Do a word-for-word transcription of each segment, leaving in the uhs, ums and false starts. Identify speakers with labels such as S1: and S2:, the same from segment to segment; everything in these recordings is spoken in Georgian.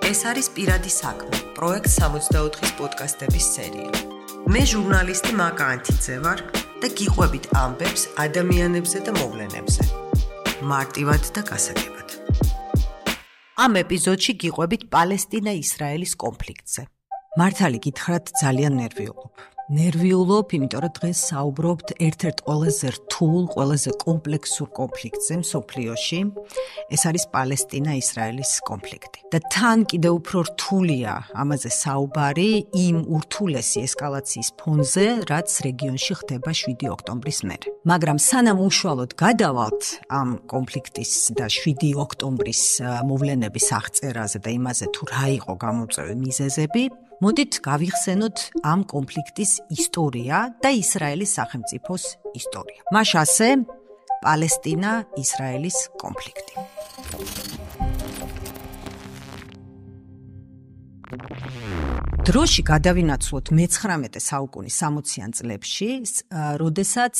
S1: ეს არის პირადი საქმე, პროექტ სამოცდაოთხის პოდკასტების სერია. მე ჟურნალისტი მაკა ანთიძე ვარ და გიყვებით ამბებს ადამიანებზე და მოვლენებზე. მარტივად და გასაგებად. ამ ეპიზოდში გიყვებით პალესტინა-ისრაელის კონფლიქტზე. მართალი გითხრათ, ძალიან ნერვიულობ. ნერვიულობ, იმიტომ რომ დღეს საუბრობთ ერთ-ერთ ყველაზე რთულ, ყველაზე კომპლექსურ კონფლიქტზე მსოფლიოში. ეს არის პალესტინა-ისრაელის კონფლიქტი. და თან კიდევ უფრო რთულია ამაზე საუბარი იმ ურთულესი ესკალაციის ფონზე, რაც რეგიონში ხდება შვიდი ოქტომბრის მერე. მაგრამ სანამ უშუალოდ გადავალთ ამ კონფლიქტის და შვიდი ოქტომბრის მოვლენების აღწერაზე და იმაზე თუ რა იყო გამოწვევი მიზეზები, მოდით გავიხსენოთ ამ კონფლიქტის ისტორია და ისრაელის სახელმწიფოს ისტორია. მაშ ასე პალესტინა-ისრაელის კონფლიქტი. დროში გადავინაცვლოთ მეცხრამეტე საუკუნის სამოციან წლებში, როდესაც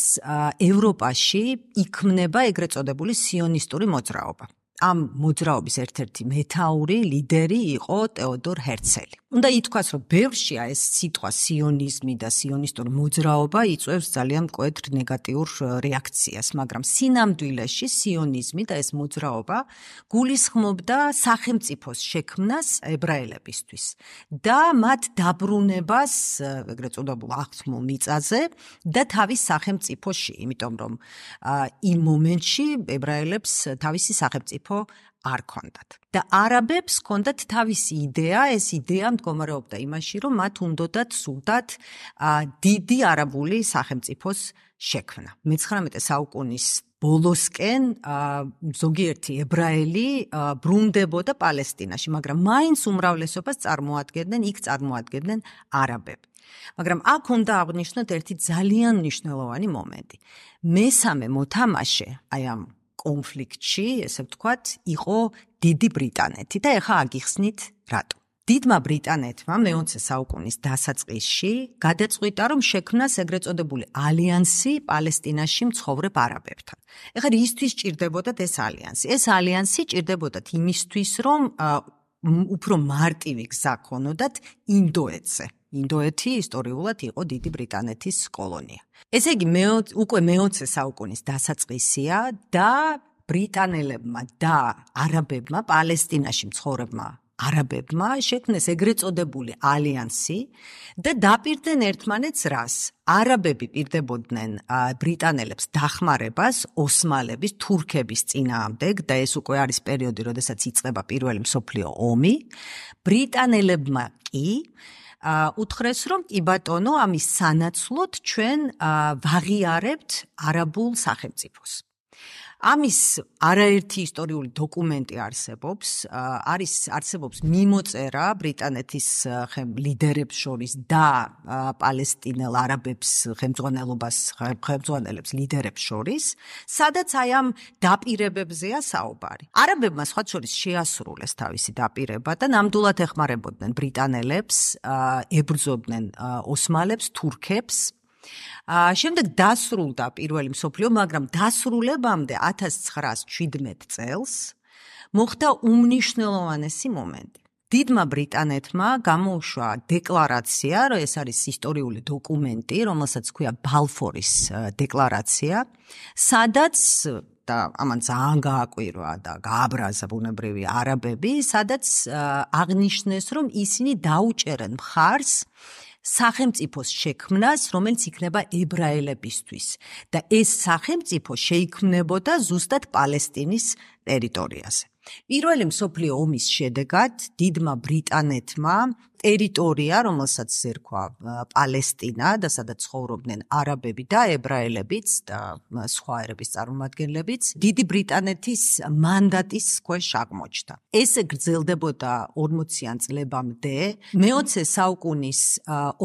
S1: ევროპაში იქმნება ეგრეთ წოდებული სიონისტური მოძრაობა. ამ მოძრაობის ერთ-ერთი მეთაური, ლიდერი იყო ტეოდორ ჰერცელი. უნდა ითქვას, რომ ბევრშია ეს სიტყვა სიონიზმი და სიონისტური მოძრაობა იწვევს ძალიან მკვეთრ ნეგატიურ რეაქციას, მაგრამ სინამდვილეში სიონიზმი და ეს მოძრაობა გულისხმობდა სახელმწიფოს შექმნას ებრაელებისთვის და მათ დაბრუნებას ეგრეთ წოდებულ აღთმულ მიწაზე და თავის სახელმწიფოში, იმიტომ რომ იმ მომენტში ებრაელებს თავისი სახელმწიფო არ ქონდათ. და არაბებს ქონდათ თავისი იდეა, ეს იდეა მდგომარეობდა იმაში, რომ მათ უნდათ სურდათ დიდი არაბული სახელმწიფოს შექმნა. მეცხრამეტე საუკუნის ბოლოსკენ ზოგიერთი ებრაელი ბრუნდებოდა პალესტინაში, მაგრამ მაინც უმრავლესობას წარმოადგენდნენ, იქ წარმოადგენდნენ არაბები. მაგრამ აქ უნდა აღვნიშნოთ ერთი ძალიან მნიშვნელოვანი მომენტი. მესამე მოთამაშე აი ამ კონფლიქტში, ესე ვთქვათ, იყო დიდი ბრიტანეთი და ეხლა აგიხსნით რატო. დიდმა ბრიტანეთმა მეოცე საუკუნის დასაწყისში გადაწყვიტა, რომ შექმნას ეგრეთ წოდებული ალიანსი პალესტინაში მცხოვრებ არაბებთან. ეხლა რისთვის ჭირდებოდათ ეს ალიანსი? ეს ალიანსი ჭირდებოდათ იმისთვის, რომ უფრო მარტივი გზა ქონოდათ ინდოეთზე. ინდოეთი ისტორიულად იყო დიდი ბრიტანეთის კოლონია. ესე იგი, უკვე მეოცე საუკუნის დასაწყისია და ბრიტანელებმა და არაბებმა, პალესტინაში მცხოვრებმა არაბებმა შექმნეს ეგრეთ წოდებული ალიანსი და დაპირდნენ ერთმანეთს რას? არაბები პირდებოდნენ ბრიტანელებს დახმარებას ოსმალების, თურქების წინააღმდეგ და ეს უკვე არის პერიოდი, როდესაც იწყება პირველი მსოფლიო ომი. ბრიტანელებმა კი უთხრეს, რომ კი ბატონო, ამის სანაცვლოდ ჩვენ ვაღიარებთ არაბულ სახელმწიფოს. ამის არაერთი ისტორიული დოკუმენტი არსებობს, არის არსებობს მიმოწერა ბრიტანეთის ლიდერებს შორის და პალესტინელ არაბებს ხელმძღვანელობას ხელმძღვანელებს ლიდერებს შორის, სადაც აი ამ დაპირებებზეა საუბარი. არაბებმა სხვა შორის შეასრულეს თავისი დაპირება და ნამდვილად ეხმარებოდნენ ბრიტანელებს, ებრძოდნენ ოსმალებს, თურქებს. შემდეგ დასრულდა პირველი მსოფლიო, მაგრამ დასრულებამდე ათას ცხრაას შვიდმეტ წელს მოხდა უმნიშვნელოვანესი მომენტი. დიდმა ბრიტანეთმა გამოუშვა დეკლარაცია, რომ ეს არის ისტორიული დოკუმენტი, რომელსაც ჰქვია ბალფორის დეკლარაცია, სადაც და ამან ძალიან გააკვირვა და გააბრაზა ბუნებრივი არაბები, სადაც აღნიშნეს, რომ ისინი დაუჭერენ მხარს სახელმწიფოს შექმნას, რომელიც იქნება ებრაელებისთვის და ეს სახელმწიფო შეიქმნებოდა ზუსტად პალესტინის ტერიტორიაზე. პირველი მსოფლიო ომის შედეგად დიდმა ბრიტანეთმა ტერიტორია, რომელსაც ერქვა პალესტინა და სადაც ცხოვრობდნენ არაბები და ებრაელებიც და სხვა ერების წარმომადგენლებიც, დიდი ბრიტანეთის მანდატის ქვეშ აღმოჩნდა. ეს გრძელდებოდა ორმოციან წლებამდე. მეოცე საუკუნის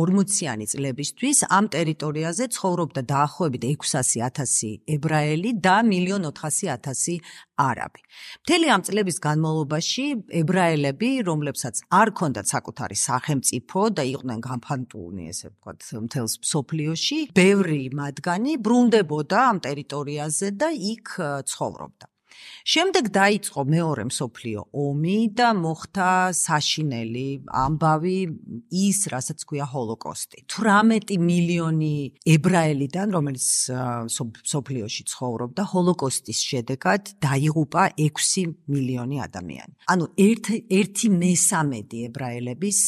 S1: ორმოციანი წლებისთვის ამ ტერიტორიაზე ცხოვრობდა დაახლოებით ექვსასი ათასი ებრაელი და მილიონ ოთხასი ათასი არაბი. მთელი ამ წლების განმავლობაში ებრაელები, რომლებსაც არ ჰქონდათ საკუთარი სახელმწიფო და იყვნენ განფანტულნი, ესე ვთქვათ, მთელს მსოფლიოში, ბევრი მათგანი ბრუნდებოდა ამ ტერიტორიაზე და იქ ცხოვრობდა. შემდეგ დაიწყო მეორე მსოფლიო ომი და მოხდა საშინელი ამბავი ის, რასაც ქვია ჰოლოკოსტი. თვრამეტი მილიონი ებრაელიდან, რომელიც მსოფლიოში ცხოვრობდა, ჰოლოკოსტის შედეგად დაიღუპა ექვსი მილიონი ადამიანი. ანუ ერთი მესამედი ებრაელების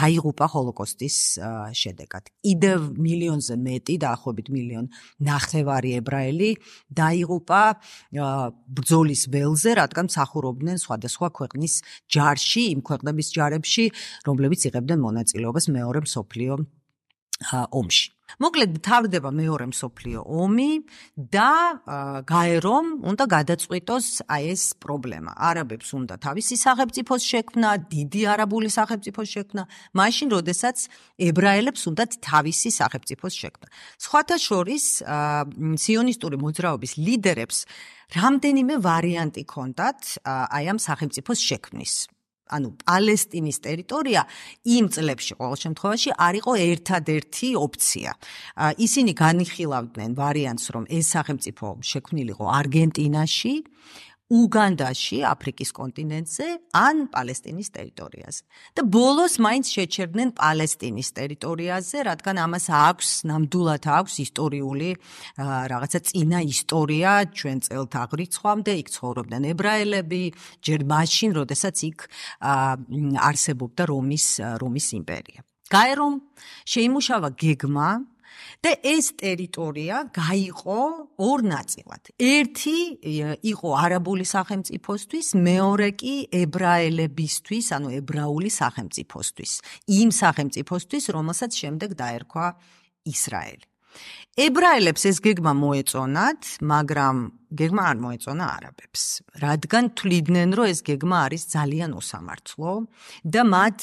S1: დაიღუპა ჰოლოკოსტის შედეგად. კიდევ მილიონზე მეტი, დაახლოებით მილიონ ნახევარი ებრაელი დაიღუპა ბრძოლის ველზე, რადგან მსახურობდნენ სხვადასხვა ქვეყნის ჯარში, იმ ქვეყნების ჯარებში, რომლებიც იღებდნენ მონაწილეობას მეორე მსოფლიო ომში. მოკლედ თავდება მეორე მსოფლიო ომი და გაერომ უნდა გადაწყვიტოს აი ეს პრობლემა. არაბებს უნდა თავისი სახელმწიფოს შექმნა, დიდი არაბული სახელმწიფოს შექმნა, მაშინ როდესაც ებრაელებს უნდა თავისი სახელმწიფოს შექმნა. სხვათა შორის სიონისტური მოძრაობის ლიდერებს რამდენიმე ვარიანტი ჰქონდათ აი ამ სახელმწიფოს შექმნის. ანუ პალესტინის ტერიტორია იმ წლებში ყოველ შემთხვევაში არ იყო ერთადერთი ოფცია. ისინი განიხილავდნენ ვარიანტს, რომ ეს სახელმწიფო შექმნილიყო არგენტინაში, უგანდაში, აფრიკის კონტინენტზე, ან პალესტინის ტერიტორიაზე. და ბოლოს მაინც შეჩერდნენ პალესტინის ტერიტორიაზე, რადგან ამას აქვს, ნამდვილად აქვს ისტორიული რაღაცა წინა ისტორია ჩვენ წელთ აღრიცხვამდე, იქ ცხოვრობდნენ ებრაელები, ჯერ მაშინ, როდესაც იქ არსებობდა რომის რომის იმპერია. გაერომ შეიმუშავა გეგმა და ეს ტერიტორია გაიყო ორ ნაწილად. ერთი იყო არაბული სახელმწიფოსთვის, მეორე კი ებრაელებისთვის, ანუ ებრაული სახელმწიფოსთვის. იმ სახელმწიფოსთვის, რომელსაც შემდეგ დაერქვა ისრაელი. ებრაელებს ეს გეგმა მოეწონათ, მაგრამ გეგმა არ მოეწონა არაბებს, რადგან თვლიდნენ, რომ ეს გეგმა არის ძალიან უსამართლო და მათ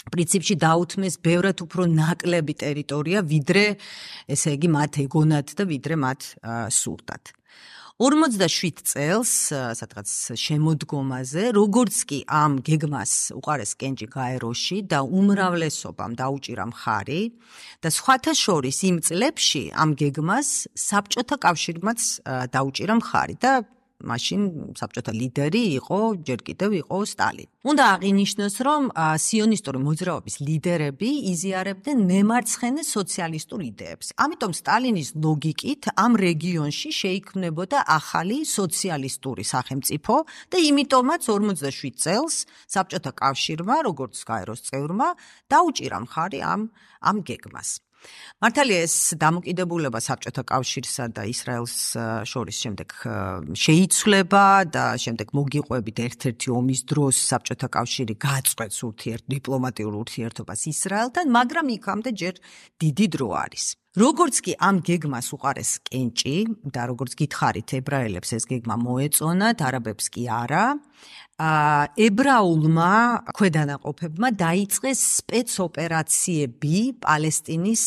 S1: პრინციპში დაუთმეს ბევრად უფრო ნაკლები ტერიტორია, ვიდრე, ესე იგი, მათ ეგონათ და ვიდრე მათ სურდათ. ორმოცდაშვიდ წელს, სადღაც შემოდგომაზე, როგორც კი ამ გეგმას უყარეს კენჭი გაეროში და უმრავლესობამ დაუჭირა მხარი და სხვათა შორის იმ წლებში ამ გეგმას საბჭოთა კავშირმაც დაუჭირა მხარი და მაშინ საბჭოთა ლიდერი იყო, ჯერ კიდევ იყო სტალინი. უნდა აღინიშნოს, რომ სიონისტური მოძრაობის ლიდერები იზიარებდნენ მემარცხენე სოციალისტურ იდეებს. ამიტომ სტალინის ლოგიკით ამ რეგიონში შეიქმნებოდა ახალი სოციალისტური სახელმწიფო და იმიტომაც ორმოცდაშვიდ წელს საბჭოთა კავშირმა, როგორც გაეროს წევრმა, დაუჭირა მხარი ამ ამ გეგმას. მართალია ეს დამოკიდებულება საბჭოთა კავშირსა და ისრაელს შორის შემდეგ შეიცვლება და შემდეგ მოგიყვებით ერთ-ერთი ომის დროს საბჭოთა კავშირი გააწყვეტს ურთიერთ დიპლომატიურ ურთიერთობას ისრაელთან, მაგრამ იქამდე ჯერ დიდი დრო არის. როგორც კი ამ გეგმას უყარეს კენჭი და როგორც გითხარით, ებრაელებს ეს გეგმა მოეწონათ, არაბებს კი არა, ებრაულმა ქვედანაყოფებმა დაიწყეს სპეცოპერაციები პალესტინის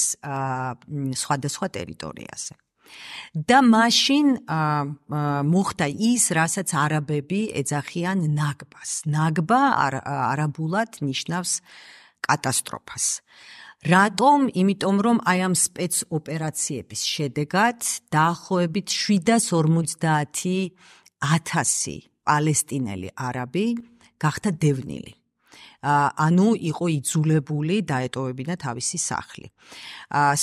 S1: სხვადასხვა ტერიტორიაზე. და მაშინ მოხდა ის, რასაც არაბები ეძახიან ნაგბას. ნაგბა არაბულად ნიშნავს კატასტროფას. რატომ? იმიტომ რომ აი ამ სპეცოპერაციების შედეგად დაახლოებით შვიდას ორმოცდაათი ათასი პალესტინელი არაბი გახდა დევნილი. ანუ იყო იძულებული დაეტოვებინა თავისი სახლი.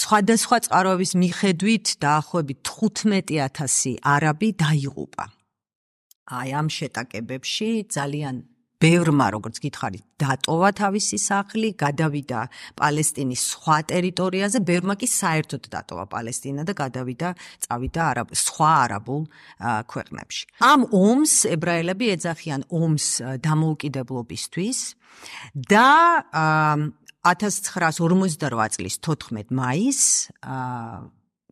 S1: სხვადასხვა წყაროების მიხედვით დაახლოებით თხუთმეტი ათასი არაბი დაიღუპა. აი ამ შეტაკებებში ძალიან ბევრმა, როგორც გითხარით, დატოვა თავისი სახლი, გადავიდა პალესტინის სხვა ტერიტორიაზე, ბევრმა კი საერთოდ დატოვა პალესტინა და გადავიდა, წავიდა არაბ, სხვა არაბულ ქვეყნებში. ამ ომს ებრაელები ეძახიან ომს დამოუკიდებლობისთვის და ათას ცხრაას ორმოცდარვა წლის თოთხმეტ მაისს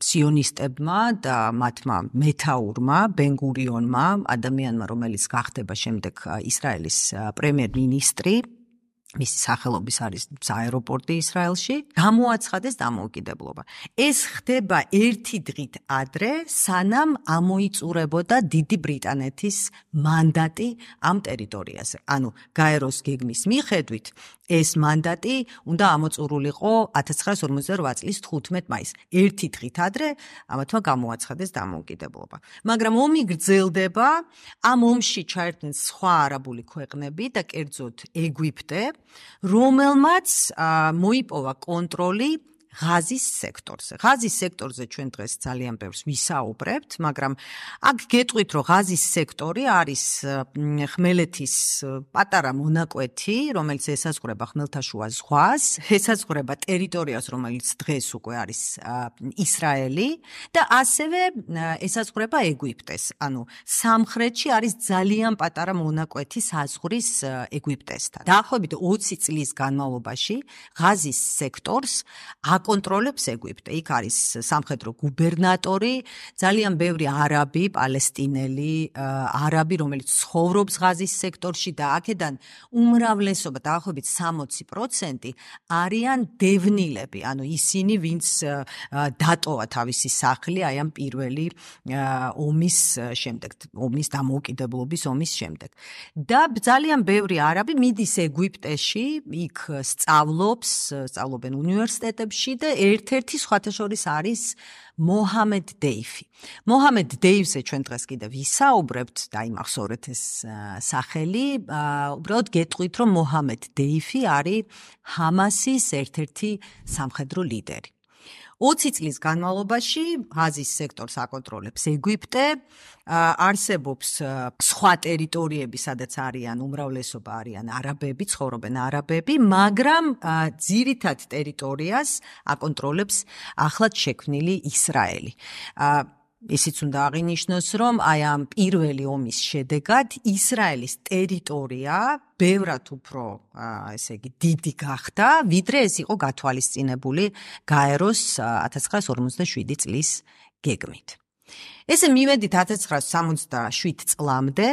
S1: სიონისტებმა და მათმა მეთაურმა ბენ-გურიონმა, ადამიანმა, რომელიც გახდება შემდეგ ისრაელის პრემიერ-მინისტრი, მისი სახელობის არის აეროპორტი ისრაელში, გამოაცხადეს დამოუკიდებლობა. ეს ხდება ერთი დღით ადრე, სანამ ამოიწურებოდა დიდი ბრიტანეთის მანდატი ამ ტერიტორიაზე. ანუ გაეროს გეგმის მიხედვით ეს მანდატი უნდა ამოწურულიყო ათას ცხრაასი ორმოცდარვა წლის თხუთმეტ მაისს. ერთი დღით ადრე ამათმა გამოაცხადეს დამოუკიდებლობა. მაგრამ ომი გრძელდება, ამ ომში ჩაერთნენ სხვა არაბული ქვეყნები და კერძოდ ეგვიპტე, რომელმაც მოიპოვა კონტროლი ღაზის სექტორზე. ღაზის სექტორზე ჩვენ დღეს ძალიან ბევრს ვისაუბრებთ, მაგრამ აქ გეტყვით, რომ ღაზის სექტორი არის ხმელეთის პატარა მონაკვეთი, რომელიც ესაზღვრება ხმელთაშუა ზღვას, ესაზღვრება ტერიტორიას, რომელიც დღეს უკვე არის ისრაელი და ასევე ესაზღვრება ეგვიპტეს. ანუ სამხრეთში არის ძალიან პატარა მონაკვეთი საზღვრის ეგვიპტესთან. დაახლოებით ოცი წლის განმავლობაში ღაზის სექტორს აკონტროლებს ეგვიპტე. იქ არის სამხედრო გუბერნატორი, ძალიან ბევრი არაბი, პალესტინელი არაბი, რომელიც ცხოვრობს ღაზის სექტორში და აქედან უმრავლესობა, დაახლოებით სამოცი პროცენტი არიან დევნილები, ანუ ისინი, ვინც დატოვა თავისი სახლი აი ამ პირველი ომის შემდეგ, ომის დამოუკიდებლობის ომის შემდეგ. და ძალიან ბევრი არაბი მიდის ეგვიპტეში, იქ სწავლობს, სწავლობენ უნივერსიტეტებში და ერთ-ერთი სხვათა შორის არის მოჰამედ დეიფი. მოჰამედ დეივზე ჩვენ დღეს კიდევ ვისაუბრებთ და იმახსოვრეთ ეს სახელი, უბრალოდ გეტყვით, რომ მოჰამედ დეიფი არის ჰამასის ერთ-ერთი სამხედრო ლიდერი. ოცი წლის განმავლობაში ღაზის სექტორს აკონტროლებს ეგვიპტე, არსებობს სხვა ტერიტორიები, სადაც არიან უმრავლესობა არიან არაბები, ცხოვრობენ არაბები, მაგრამ ძირითად ტერიტორიას აკონტროლებს ახლად შექმნილი ისრაელი. ისიც უნდა აღინიშნოს, რომ აი ამ პირველი ომის შედეგად ისრაელის ტერიტორია ბევრად უფრო, ესე იგი, დიდი გახდა, ვიდრე ეს იყო გათვალისწინებული გაეროს ათას ცხრაასი ორმოცდაშვიდი წლის გეგმით. ესე მივედით ათას ცხრაასი სამოცდაშვიდ წლამდე,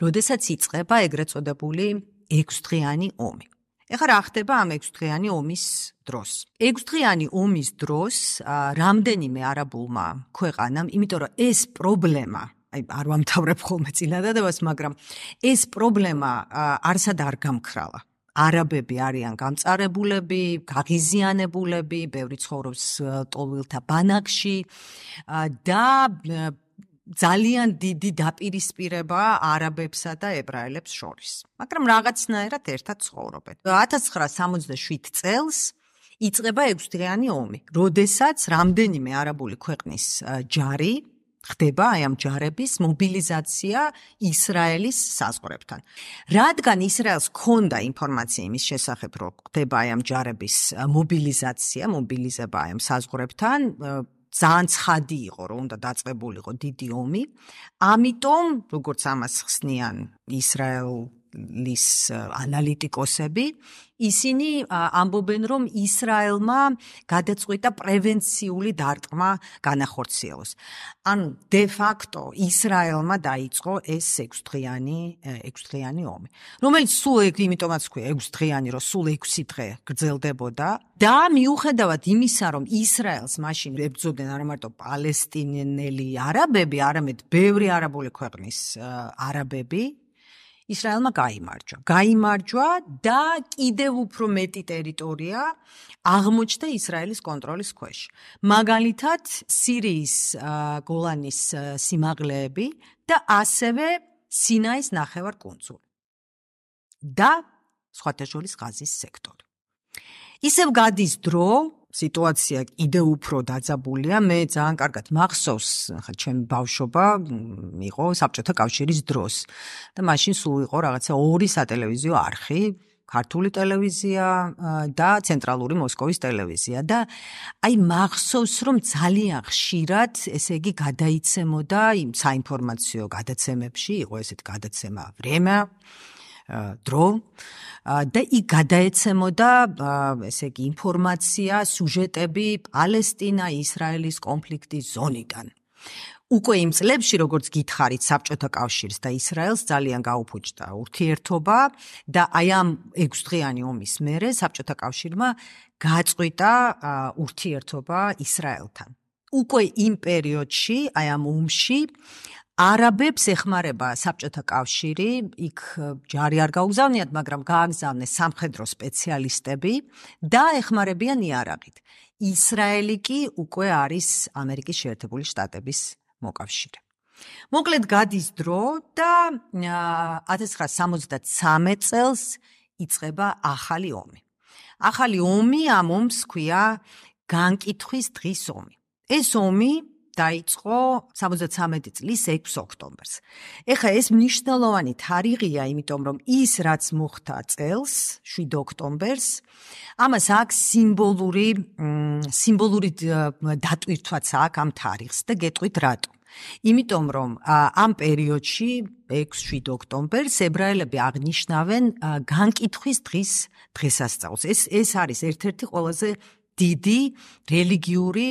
S1: როდესაც იწყება ეგრეთ წოდებული ექვსდღიანი ომი. ეხლა რა ხდება ამ ექვსდღიანი ომის დროს? ექვსდღიანი ომის დროს რამდენიმე არაბულმა ქვეყანამ, იმიტომ რომ ეს პრობლემა, აი არ ვამთავრებ ხოლმე წინადადებას, მაგრამ ეს პრობლემა არსად არ გამქრალა. არაბები არიან გამწარებულები, გაღიზიანებულები, ბევრი ცხოვრობს ტოლვილთა ბანაკში და ძალიან დიდი დაპირისპირება არაბებსა და ებრაელებს შორის. მაგრამ რაღაცნაირად ერთად ცხოვრობენ. ათას ცხრაასი სამოცდაშვიდ წელს იწყება ექვსდღიანი ომი, როდესაც რამდენიმე არაბული ქვეყნის ჯარი ხდება აი ამ ჯარების მობილიზაცია ისრაელის საზღვრებთან. რადგან ისრაელს ჰქონდა ინფორმაცია იმის შესახებ, რომ ხდება აი ამ ჯარების მობილიზაცია, მობილიზება აი ამ საზღვრებთან, ძალიან ცხადი იყო, რომ უნდა დაწყებულიყო დიდი ომი. ამიტომ, როგორც ამას ხსნიან ისრაელის ანალიტიკოსები, ისინი ამბობენ, რომ ისრაელმა გადაწყვიტა პრევენციული დარტყმა განახორციელოს. ანუ de facto ისრაელმა დაიწყო ეს ექვსდღიანი ექვსდღიანი ომი, რომელიც სულ იმიტომაც ქვია ექვსდღიანი, რომ სულ ექვსი დღე გრძელდებოდა და მიუხედავად იმისა, რომ ისრაელს მაშინ ებრძოდნენ არა მარტო პალესტინელი არაბები, არამედ ბევრი არაბული ქვეყნის არაბები, ისრაელმა გაიმარჯვა. გაიმარჯვა და კიდევ უფრო მეტი ტერიტორია აღმოჩნდა ისრაელის კონტროლის ქვეშ. მაგალითად, სირიის გოლანის სიმაღლეები და ასევე სინაის ნახევარკუნძული და სხვათა შორის ღაზის სექტორი. ისევ გადის დრო, სიტუაცია კიდევ უფრო დაძაბულია. მე ძალიან კარგად მახსოვს, ხა ჩემი ბავშვობა იყო საბჭოთა კავშირის დროს და მაშინ სულ იყო რაღაცა ორი სატელევიზიო არხი, ქართული ტელევიზია და ცენტრალური მოსკოვის ტელევიზია და აი მახსოვს, რომ ძალიან ხშირად, ესე იგი, გადაიცემოდა იმ საინფორმაციო გადაცემებში, იყო ესეთი გადაცემა „ვრემია“, დრო და იქ გადაეცემოდა ესე იგი ინფორმაცია, სიუჟეტები პალესტინა-ისრაელის კონფლიქტის ზონიდან. უკვე იმ წლებში, როგორც გითხარით, საბჭოთა კავშირს და ისრაელს ძალიან გაუფუჭდა ურთიერთობა და აი ამ ექვსდღიანი ომის მერე საბჭოთა კავშირმა გაწყვიტა ურთიერთობა ისრაელთან. უკვე იმ პერიოდში, აი ამ ომში არაბებს ეხმარება საბჭოთა კავშირი, იქ ჯარი არ გაუგზავნიათ, მაგრამ გააგზავნეს სამხედრო სპეციალისტები და ეხმარებიან იარაღით. ისრაელი კი უკვე არის ამერიკის შეერთებული შტატების მოკავშირე. მოკლედ გადის დრო და ათას ცხრაასი სამოცდათსამი წელს იწყება ახალი ომი. ახალი ომი ამ ომს ქვია განკითხვის დღის ომი. ეს ომი დაიწყო სამოცდათსამეტი წლის ექვსი ოქტომბერს. ეხლა ეს მნიშვნელოვანი თარიღია, იმიტომ რომ ის რაც მოხდა წელს, შვიდი ოქტომბერს, ამას აქვს სიმბოლური სიმბოლური დატვირთვაც აქვს ამ თარიღს და გეტყვით რატო. იმიტომ რომ ამ პერიოდში ექვსი შვიდი ოქტომბერს ებრაელები აღნიშნავენ განკითხვის დღის დღესასწაულს. ეს ეს არის ერთ-ერთი ყველაზე დიდი რელიგიური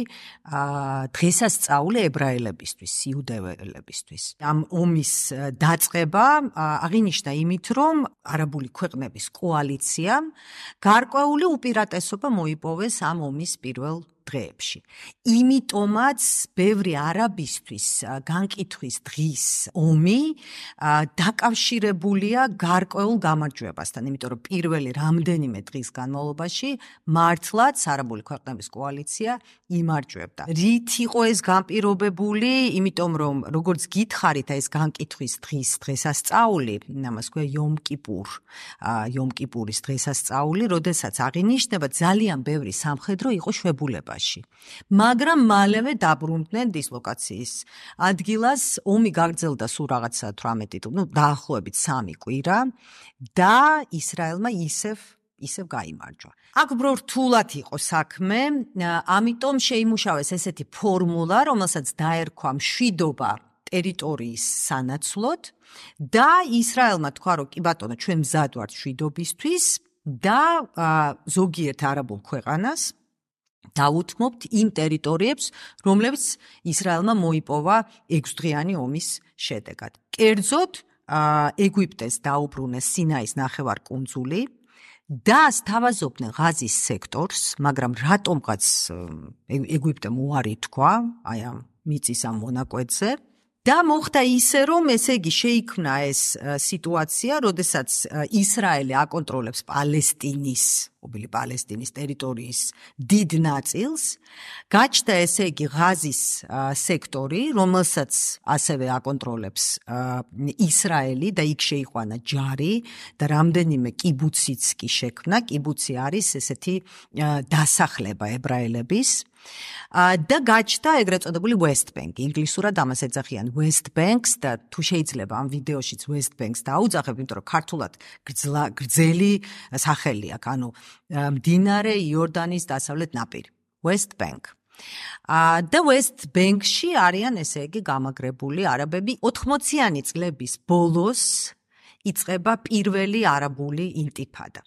S1: დღესასწაული ებრაელებისთვის, იუდეველებისთვის. ამ ომის დაწყება აღინიშნა იმით, რომ არაბული ქვეყნების კოალიციამ გარკვეული უპირატესობა მოიპოვეს ამ ომის პირველ დღეებში. იმიტომაც ბევრი არაბისთვის განკითხვის დღის ომი დაკავშირებულია გარკვეულ გამარჯვებასთან, იმიტომ რომ პირველი რამდენიმე დღის განმავლობაში მართლაც არაბული ქვეყნების კოალიცია იმარჯვებდა. რით იყო ეს განპირობებული? იმიტომ რომ როგორც გითხარით, ეს განკითხვის დღის დღესასწაული, ამას ქვია იომ კიპურ, იომ კიპურის დღესასწაული, როდესაც აღინიშნება ძალიან ბევრი სამხედრო იყო შვებულება. მაგრამ მალევე დაბრუნდნენ დისლოკაციის ადგილას, ომი გაგრძელდა სულ რაღაცა თვრამეტი, ნუ დაახლოებით სამი კვირა და ისრაელმა ისევ ისევ გაიმარჯვა. აქ უფრო რთულად იყო საქმე, ამიტომ შეიმუშავეს ესეთი ფორმულა, რომელსაც დაერქვა მშვიდობა ტერიტორიის სანაცვლოდ და ისრაელმა თქვა, რომ კი ბატონო, ჩვენ მზად ვართ მშვიდობისთვის და ზოგიერთ არაბულ ქვეყანას დაუთმობთ იმ ტერიტორიებს, რომლებიც ისრაელმა მოიპოვა ექვსდღიანი ომის შედეგად. კერძოდ, ეგვიპტეს დაუბრუნეს სინაის ნახევარკუნძული და სთავაზობდნენ ღაზის სექტორს, მაგრამ რატომღაც ეგვიპტემ უარი თქვა აი ამ მიწის ამ მონაკვეთზე. და მოხდა ისე, რომ ესე იგი შეიქმნა ეს სიტუაცია, როდესაც ისრაელი აკონტროლებს პალესტინის, ობილი პალესტინის ტერიტორიის დიდ ნაწილს, გაჩნდა ესე იგი ღაზის სექტორი, რომელსაც ასევე აკონტროლებს ისრაელი და იქ შეიყვანა ჯარი და რამდენიმე კიბუციც კი შექმნა. კიბუცი არის ესეთი დასახლება ებრაელების. და გაჩნდა ეგრეთ წოდებული West Bank. ინგლისურად ამას ეძახიან West Banks და თუ შეიძლება ამ ვიდეოშიც West Banks დაუძახებ, იმიტომ რომ ქართულად გრძელი სახელი აქვს, ანუ მდინარე იორდანის დასავლეთ ნაპირი. West Bank. და West Bank-ში არიან ესე იგი გამაგრებული არაბები. ოთხმოციანი წლების ბოლოს იწყება პირველი არაბული ინტიფადა.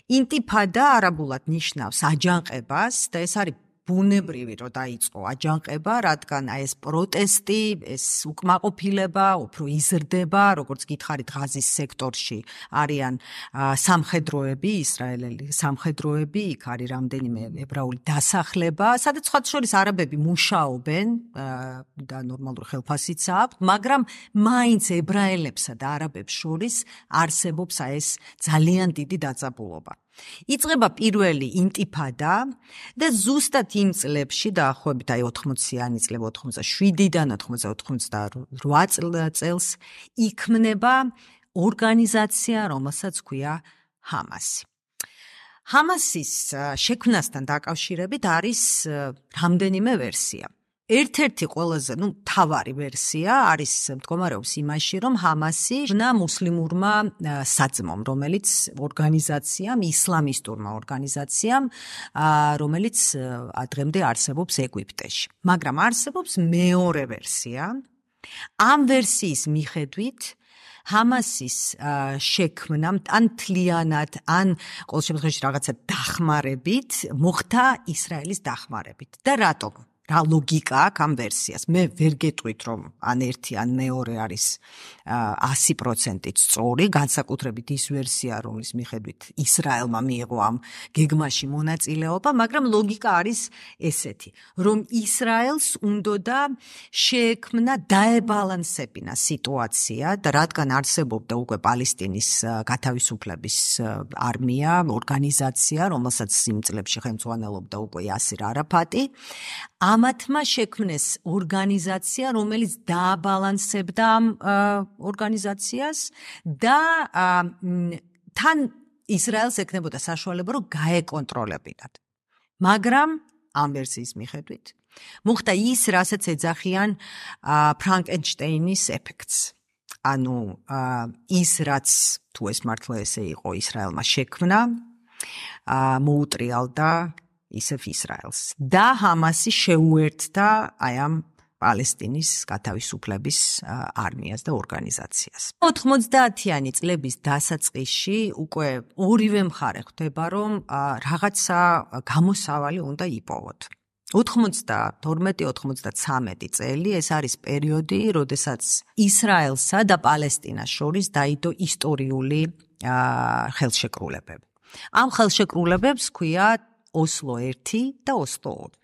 S1: ინტიფადა არაბულად ნიშნავს აჯანყებას და ეს არის ბუნებრივი რომ დაიწყო აჯანყება, რადგან აი ეს პროტესტი, ეს უკმაყოფილება უფრო იზრდება, როგორც გითხარით ღაზის სექტორში არიან სამხედროები, ისრაელელი სამხედროები, იქ არის რამდენიმე ებრაული დასახლება, სადაც სხვა შორის არაბები მუშაობენ და ნორმალური ხელფასიც აქვს, მაგრამ მაინც ებრაელებსა და არაბებს შორის არსებობს აი ეს ძალიან დიდი დაძაბულობა. იწყება პირველი ინტიფადა და ზუსტად იმ წლებში დაახლოებით აი ოთხმოციანი წლები ოცდაშვიდიდან ოცდაოთხმოცდაოთხ წელს იქმნება ორგანიზაცია, რომელსაც ქვია ჰამასი. ჰამასის შექმნასთან დაკავშირებით არის რამდენიმე ვერსია. ერთ-ერთი ყველაზე, ну, თავარი ვერსია არის მდგომარეობს იმაში, რომ ჰამასი ნა მუსლიმურმა საძმომ, რომელიც ორგანიზაციამ, ისლამისტურმა ორგანიზაციამ, რომელიც დღემდე არსებობს ეგვიპტეში. მაგრამ არსებობს მეორე ვერსია. ამ ვერსიის მიხედვით ჰამასის შექმნა ან თლიანად, ან ყოველ შემთხვევაში რაღაცა დახმარებით მოხდა ისრაელის დახმარებით. და რატომ? რა ლოგიკა აქვს ამ ვერსიას. მე ვერ გეტყვით რომ ან ერთი ან მეორე არის ასი პროცენტით სწორი, განსაკუთრებით ის ვერსია, რომლის მიხედვით ისრაელმა მიიღო ამ გეგმაში მონაწილეობა, მაგრამ ლოგიკა არის ესეთი, რომ ისრაელს უნდოდა შეექმნა დაებალანსებინა სიტუაცია და რადგან არსებობდა უკვე პალესტინის გათავისუფლების არმია, ორგანიზაცია, რომელსაც იმ წლებში ხელმძღვანელობდა უკვე იასერ არაფატი, ამათმა შექმნეს ორგანიზაცია, რომელიც დააბალანსებდა ამ ორგანიზაციას და თან ისრაელს ეკნებოდა საშუალება, რომ გაეკონტროლებინათ. მაგრამ ამ ვერსიის მიხედვით მოხდა ის, რასაც ეძახიან ფრანკენშტეინის ეფექტს. ანუ ის, რაც თუ ეს მართლა ესე იყო, ისრაელმა შექმნა, მოუტრიალდა ისევ ისრაელს და ჰამასი შეუერთდა აი ამ პალესტინის გათავისუფლების არმიას და ორგანიზაციას. ოთხმოცდაათიანი წლების დასაწყისში უკვე ორივე მხარე ხვდება, რომ რაღაცა გამოსავალი უნდა იპოვოთ. ოთხმოცდათორმეტი ოთხმოცდათვრამეტი წელი ეს არის პერიოდი, როდესაც ისრაელსა და პალესტინას შორის დაიდო ისტორიული ხელშეკრულებები. ამ ხელშეკრულებებს ჰქვია ოსლო ერთი და ოსლო ორი.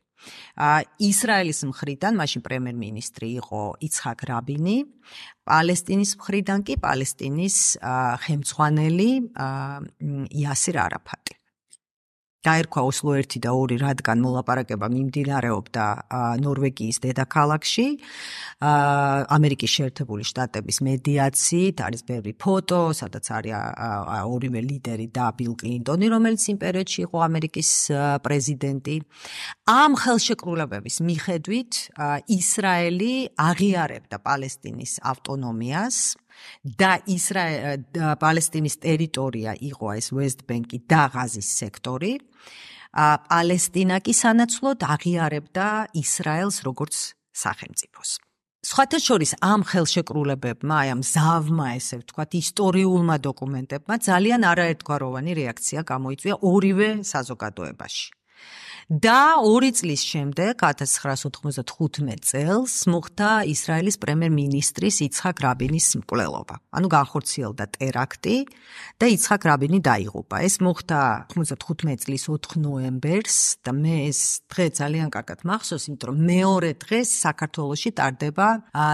S1: ისრაელის მხრიდან მაშინ პრემიერ-მინისტრი იყო იცხაკ რაბინი, პალესტინის მხრიდან კი პალესტინის ხელმძღვანელი იასერ არაფატი. დაერქვა ოსლო ერთი და ორი, რადგან მოლაპარაკება მიმდინარეობდა ნორვეგიის დედაქალაქში, ამერიკის შეერთებული შტატების მედიაციით, არის ბევრი ფოტო, სადაც არის ორივე ლიდერი და ბილ კლინტონი, რომელიც იმ პერიოდში იყო ამერიკის პრეზიდენტი. ამ ხელშეკრულებების მიხედვით ისრაელი აღიარებდა პალესტინის ავტონომიას და ისრაელ პალესტინის ტერიტორია იყო ეს West Bank-ი და ღაზის სექტორი. პალესტინა კი სანაცვლოდ აღიარებდა ისრაელს როგორც სახელმწიფოს. სხვათა შორის ამ ხელშეკრულებებმა, აი ამ ზავმა, ესე ვთქვათ, ისტორიულმა დოკუმენტებმა ძალიან არაერთგვაროვანი რეაქცია გამოიწვია ორივე საზოგადოებაში. და ორი წლის შემდეგ, ათას ცხრაას ოთხმოცდათხუთმეტ წელს, მოხდა ისრაელის პრემიერ-მინისტრის იცხაკ რაბინის მკვლელობა. ანუ განხორციელდა ტერაქტი და იცხაკ რაბინი დაიღუპა. ეს მოხდა ოთხმოცდათხუთმეტი წლის ოთხ ნოემბერს და მე ეს დღე ძალიან კარგად მახსოვს, იმიტომ რომ მეორე დღეს საქართველოში ტარდება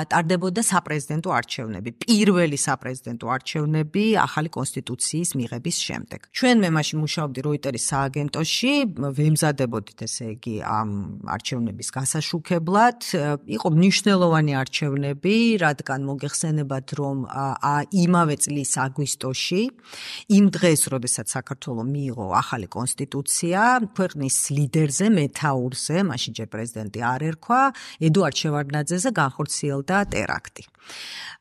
S1: ტარდებოდა საპრეზიდენტო არჩევნები. პირველი საპრეზიდენტო არჩევნები ახალი კონსტიტუციის მიღების შემდეგ. ჩვენ მე მაშინ მუშაობდი როიტერის სააგენტოში, ვემზადებოდი ესე იგი ამ არჩევნების გასაშუქებლად. იყო მნიშვნელოვანი არჩევნები, რადგან მოგეხსენებათ, რომ იმავე წლის აგვისტოში, იმ დღეს, როდესაც საქართველო მიიღო ახალი კონსტიტუცია, ქვეყნის ლიდერზე, მეთაურზე, მაშინ ჯერ პრეზიდენტი არ ერქვა, ედუარდ შევარდნაძეზე განხორციელდა ტერაქტი.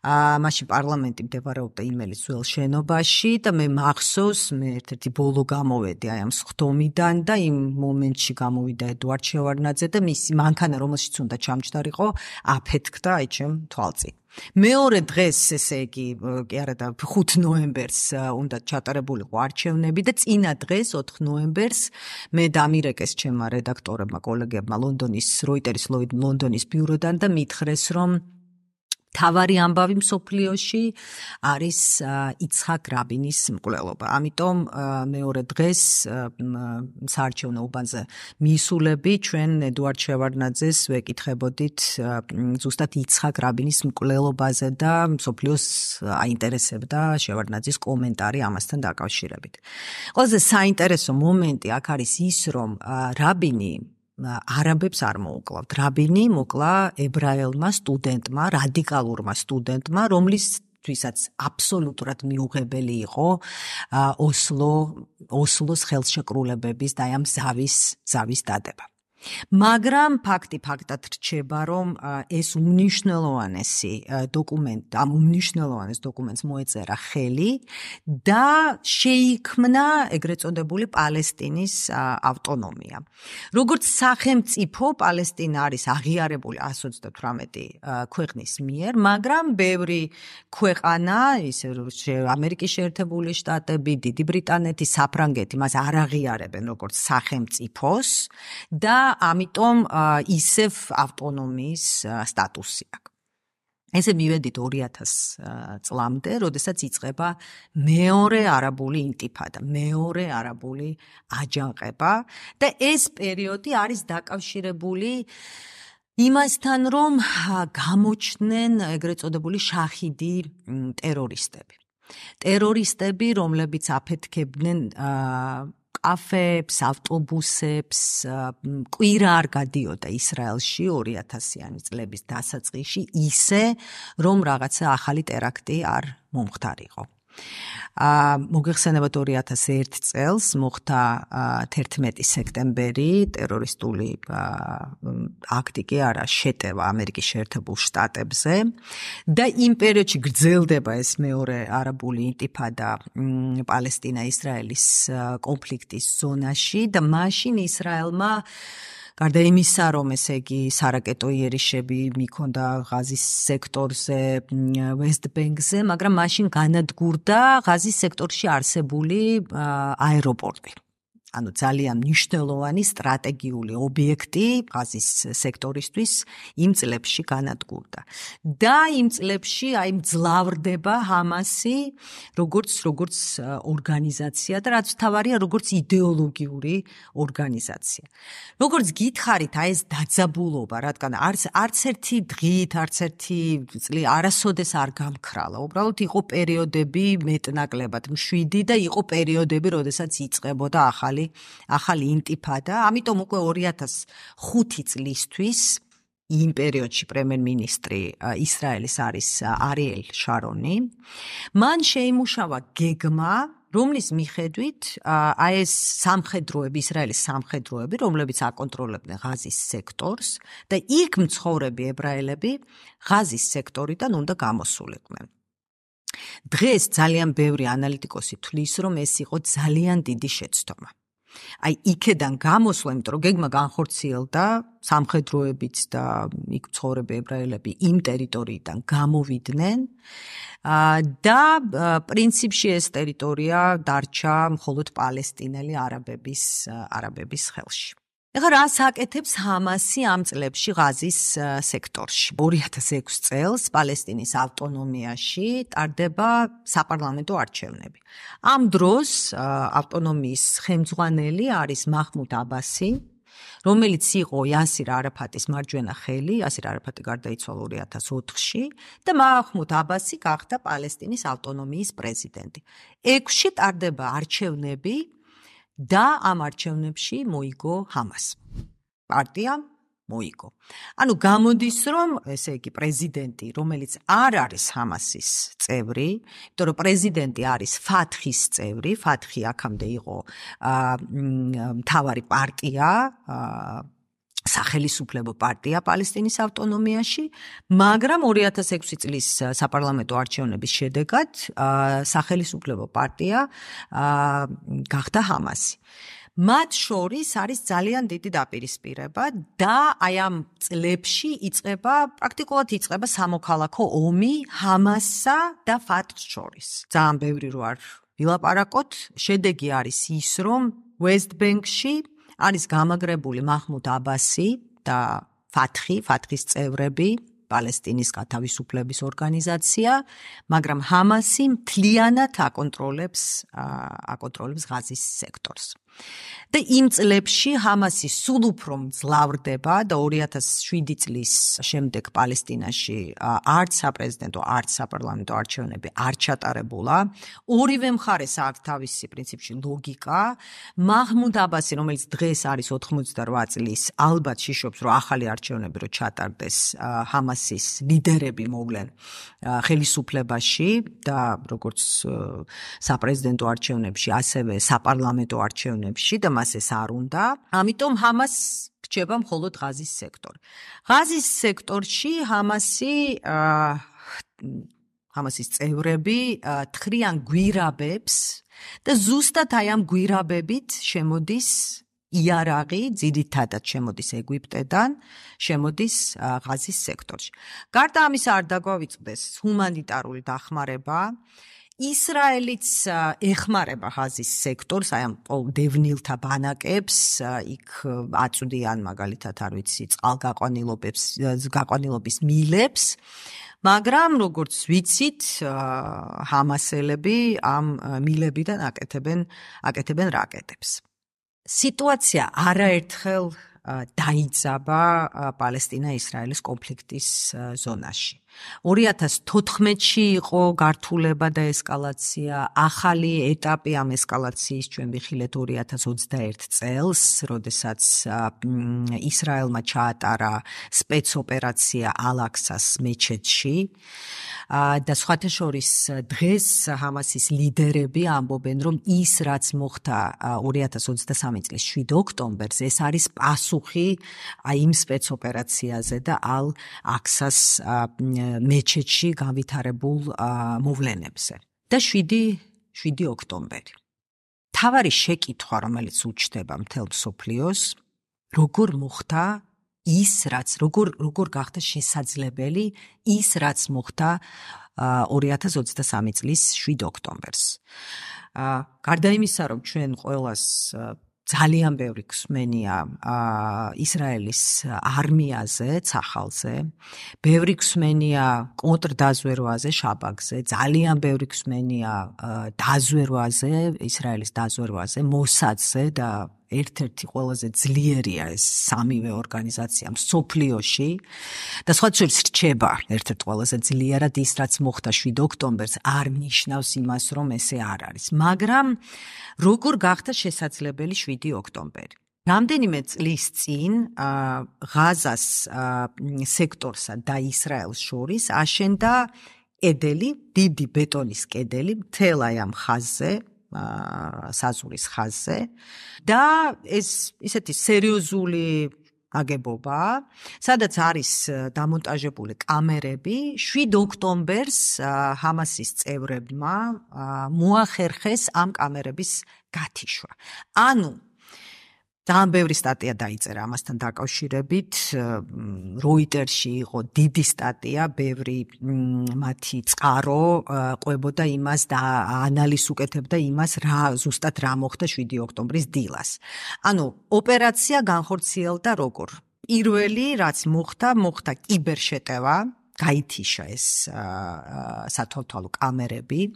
S1: მაშინ პარლამენტი მდებარეობდა იმელის ძველ შენობაში და მე მახსოვს, მე ერთ-ერთი ბოლო გამოვედი აი ამ სხდომიდან და იმ მომენტში გამოვიდა ედუარდ შევარდნაძე და მისი მანქანა, რომელშიც უნდა ჩამჯდარიყო, აფეთქდა აი ჩემ თვალწინ. მეორე დღეს, ესე იგი, კი არა და ხუთ ნოემბერს უნდა ჩატარებულიყო არჩევნები და წინა დღეს, ოთხ ნოემბერს, მე დამირეკეს ჩემმა რედაქტორებმა, კოლეგებმა ლონდონის როიტერის ლონდონის ბიუროდან და მითხრეს, რომ თავარი ამბავი მსოფლიოში არის იცხაკ რაბინის მკვლელობა. ამიტომ მეორე დღეს საარჩევნო უბანზე მიისულები ჩვენ ედუარდ შევარდნაძეს ვეკითხებოდით ზუსტად იცხაკ რაბინის მკვლელობაზე და მსოფლიოს აინტერესებდა შევარდნაძის კომენტარი ამასთან დაკავშირებით. ყველაზე საინტერესო მომენტი აქ არის ის, რომ რაბინი არაბებს არ მოუკლავთ. რაბინი მოკლა ებრაელმა სტუდენტმა, რადიკალურმა სტუდენტმა, რომლისთვისაც აბსოლუტურად მიუღებელი იყო ოსლო, ოსლოს ხელშეკრულებების და ამ ზავის, ზავის დადება. მაგრამ ფაქტი ფაქტად რჩება, რომ ეს უმნიშვნელოვანესი დოკუმენტი, ამ უმნიშვნელოვანეს დოკუმენტს მოეწერა ხელი და შეიქმნა ეგრეთ წოდებული პალესტინის ავტონომია. როგორც სახელმწიფო, პალესტინა არის აღიარებული εκατს ოცდათვრამეტი ქვეყნის მიერ, მაგრამ ბევრი ქვეყანა, ისე ამერიკის შეერთებული შტატები, დიდი ბრიტანეთი, საფრანგეთი მას არ აღიარებენ როგორც სახელმწიფოს და ამიტომ ისევ ავტონომიის სტატუსი აქვს. ესე მივედით ორი ათას წლამდე, როდესაც იწყება მეორე არაბული ინტიფადა, მეორე არაბული აჯანყება და ეს პერიოდი არის დაკავშირებული იმასთან, რომ გამოჩნდნენ ეგრეთ წოდებული შაჰიდი ტერორისტები. ტერორისტები, რომლებიც აფეთქებდნენ კაფეებს, ავტობუსებს, კვირა არ გადიოდა ისრაელში ორი ათასიანი წლების დასაწყისში, ისე რომ რაღაცა ახალი ტერაქტი არ მომხდარიყო. მოგეხსენებათ ორი ათას ერთ წელს მოხდა თერთმეტი სექტემბერი ტერორისტული აქტი კი არა შეტევა ამერიკის შეერთებულ შტატებზე და იმ პერიოდში გრძელდება ეს მეორე არაბული ინტიფადა პალესტინა-ისრაელის კონფლიქტის ზონაში და მაშინ ისრაელმა გარდა იმისა, რომ ესე იგი სარაკეტო იერიშები მიქონდა ღაზის სექტორზე, ვესტ-ბენკზე, მაგრამ მაშინ განადგურდა ღაზის სექტორში არსებული აეროპორტი. ანუ ძალიან მნიშვნელოვანი სტრატეგიული ობიექტი ღაზის სექტორისთვის იმ წლებში განადგურდა. და იმ წლებში აი მძლავრდება ჰამასი როგორც როგორც ორგანიზაცია და რაც თავარია როგორც იდეოლოგიური ორგანიზაცია. როგორც გითხარით, აი ეს დაძაბულობა, რადგან არც არც ერთი დღით, არც ერთი წლი არასოდეს არ გამქრალა. უბრალოდ იყო პერიოდები მეტნაკლებად მშვიდი და იყო პერიოდები, როდესაც იწყებოდა ახალი ახალი ინტიფადა, ამიტომ უკვე ორი ათას ხუთი წლისთვის იმ პერიოდში პრემიერ-მინისტრი ისრაელის არის არიელ შარონი. მან შეიმუშავა გეგმა, რომლის მიხედვით აი ეს სამხედროები, ისრაელის სამხედროები, რომლებიც აკონტროლებდნენ ღაზის სექტორს და იქ მცხოვრები ებრაელები ღაზის სექტორიდან უნდა გამოსულიყვნენ. დღეს ძალიან ბევრი ანალიტიკოსი თვლის, რომ ეს იყო ძალიან დიდი შეცდომა. აი იქედან გამოსვლა, იმიტომ რომ გეგმა განხორციელდა, სამხედროებიც და იქ მცხოვრები ებრაელები იმ ტერიტორიიდან გამოვიდნენ და პრინციპში ეს ტერიტორია დარჩა მხოლოდ პალესტინელი არაბების არაბების ხელში. ეხლა რას აკეთებს ჰამასი ამ წლებში ღაზის სექტორში? ორი ათას ექვსი წელს პალესტინის ავტონომიაში ტარდება საპარლამენტო არჩევნები. ამ დროს ავტონომიის ხელმძღვანელი არის მაჰმუდ აბასი, რომელიც იყო იასირ არაფატის მარჯვენა ხელი, იასირ არაფატი გარდაიცვალა ორი ათას ოთხში და მაჰმუდ აბასი გახდა პალესტინის ავტონომიის პრეზიდენტი. ექვსში ტარდება არჩევნები და ამ არჩევნებში მოიგო ჰამას. პარტია მოიგო. ანუ გამოდის, რომ ესე იგი პრეზიდენტი, რომელიც არ არის ჰამასის წევრი, იმიტომ რომ პრეზიდენტი არის ფათხის წევრი, ფათხი აქამდე იყო მთავარი პარტია, სახელისუფლებო პარტია პალესტინის ავტონომიაში, მაგრამ ორი ათას ექვსი წლის საპარლამენტო არჩევნების შედეგად სახელისუფლებო პარტია გახდა ჰამასი. მათ შორის არის ძალიან დიდი დაპირისპირება და აი ამ წლებში იწყება, პრაქტიკულად იწყება სამოქალაქო ომი ჰამასსა და ფათხს შორის. ძალიან ბევრი რო არ ვილაპარაკოთ, შედეგი არის ის, რომ ვესტ-ბენკში არის გამაგრებული მაჰმუდ აბასი და ფათხი, ფათხის წევრები, პალესტინის გათავისუფლების ორგანიზაცია, მაგრამ ჰამასი მთლიანად აკონტროლებს აკონტროლებს ღაზის სექტორს. და იმ წლებში ჰამასი სულ უფრო მძლავრდება და ორი ათას შვიდი წლის შემდეგ პალესტინაში არც საპრეზიდენტო, არც საპარლამენტო არჩევნები არ ჩატარებულა. ორივე მხარეს აქვს თავისი პრინციპში ლოგიკა. მაჰმუდ აბასი, რომელიც დღეს არის ოთხმოცდარვა წლის, ალბათ შიშობს, რომ ახალი არჩევნები რო ჩატარდეს, ჰამასის ლიდერები მოვლენ ხელისუფლებაში და როგორც საპრეზიდენტო არჩევნებში, ასევე საპარლამენტო არჩევნებში და მას ეს არ უნდა. ამიტომ ჰამას რჩება მხოლოდ ღაზის სექტორი. ღაზის სექტორში ჰამასი ჰამასის წევრები თხრიან გვირაბებს და ზუსტად აი ამ გვირაბებით შემოდის იარაღი, ძირითადად შემოდის ეგვიპტედან, შემოდის ღაზის სექტორში. გარდა ამისა არ დაგვავიწყდეს ჰუმანიტარული დახმარება. ისრაელიც ეხმარება ღაზის სექტორს, აი ამ დევნილთა ბანაკებს, იქ აწვდიან მაგალითად არ ვიცი, წყალგაყვანილობებს, გაყვანილობის მილებს, მაგრამ როგორც ვიცით, ჰამასელები ამ მილებიდან აკეთებენ აკეთებენ რაკეტებს. სიტუაცია არაერთხელ დაიძაბა პალესტინა-ისრაელის კონფლიქტის ზონაში. ორი ათას თოთხმეტში იყო გართულება და ესკალაცია, ახალი ეტაპი ამ ესკალაციის ჩვენ ვიხილეთ ორი ათას ოცდაერთ წელს, როდესაც ისრაელმა ჩაატარა სპეცოპერაცია ალაქსას მეჩეთში და სხვათა შორის დღეს ჰამასის ლიდერები ამბობენ, რომ ის რაც მოხდა ორი ათას ოცდასამი წლის შვიდ ოქტომბერს, ეს არის პასუხი აი იმ სპეცოპერაციაზე და ალ-აქსას მეჩეთში განვითარებულ მოვლენებზე. და შვიდი ოქტომბერი. თავარი შეკითხვა, რომელიც უჩნდება მთელ მსოფლიოს, როგორ მოხდა ის, რაც როგორ როგორ გახდა შესაძლებელი ის, რაც მოხდა ორი ათას ოცდასამი წლის შვიდ ოქტომბერს. გარდა იმისა, რომ ჩვენ ყველას ძალიან ბევრი გვსმენია ისრაელის არმიაზე, ცახალზე, ბევრი გვსმენია კონტრდაზვერვაზე, შაბაგზე, ძალიან ბევრი გვსმენია დაზვერვაზე, ისრაელის დაზვერვაზე, მოსადზე და ერთ-ერთი ყველაზე ძლიერია ეს სამივე ორგანიზაცია მსოფლიოში და სხვა შორის რჩება ერთ-ერთ ყველაზე ძლიერად ის, რაც მოხდა შვიდ ოქტომბერს, არ ნიშნავს იმას, რომ ესე არ არის. მაგრამ როგორ გახდა შესაძლებელი შვიდი ოქტომბერი? რამდენიმე წლის წინ ღაზას სექტორსა და ისრაელს შორის აშენდა კედელი, დიდი ბეტონის კედელი მთელ აი ამ ხაზზე, საზღვრის ხაზზე და ეს ისეთი სერიოზული აგებობა, სადაც არის დამონტაჟებული კამერები, შვიდ ოქტომბერს ჰამასის წევრებმა მოახერხეს ამ კამერების გათიშვა. ანუ ძალიან ბევრი სტატია დაიწერა ამასთან დაკავშირებით. როიტერში იყო დიდი სტატია, ბევრი მათი წყარო ყვებოდა იმას და ანალიზს უკეთებდა იმას, რა ზუსტად რა მოხდა შვიდი ოქტომბრის დილას. ანუ ოპერაცია განხორციელდა როგორ? პირველი რაც მოხდა, მოხდა კიბერშეტევა, გაითიშა ეს სათვალთვალო კამერები.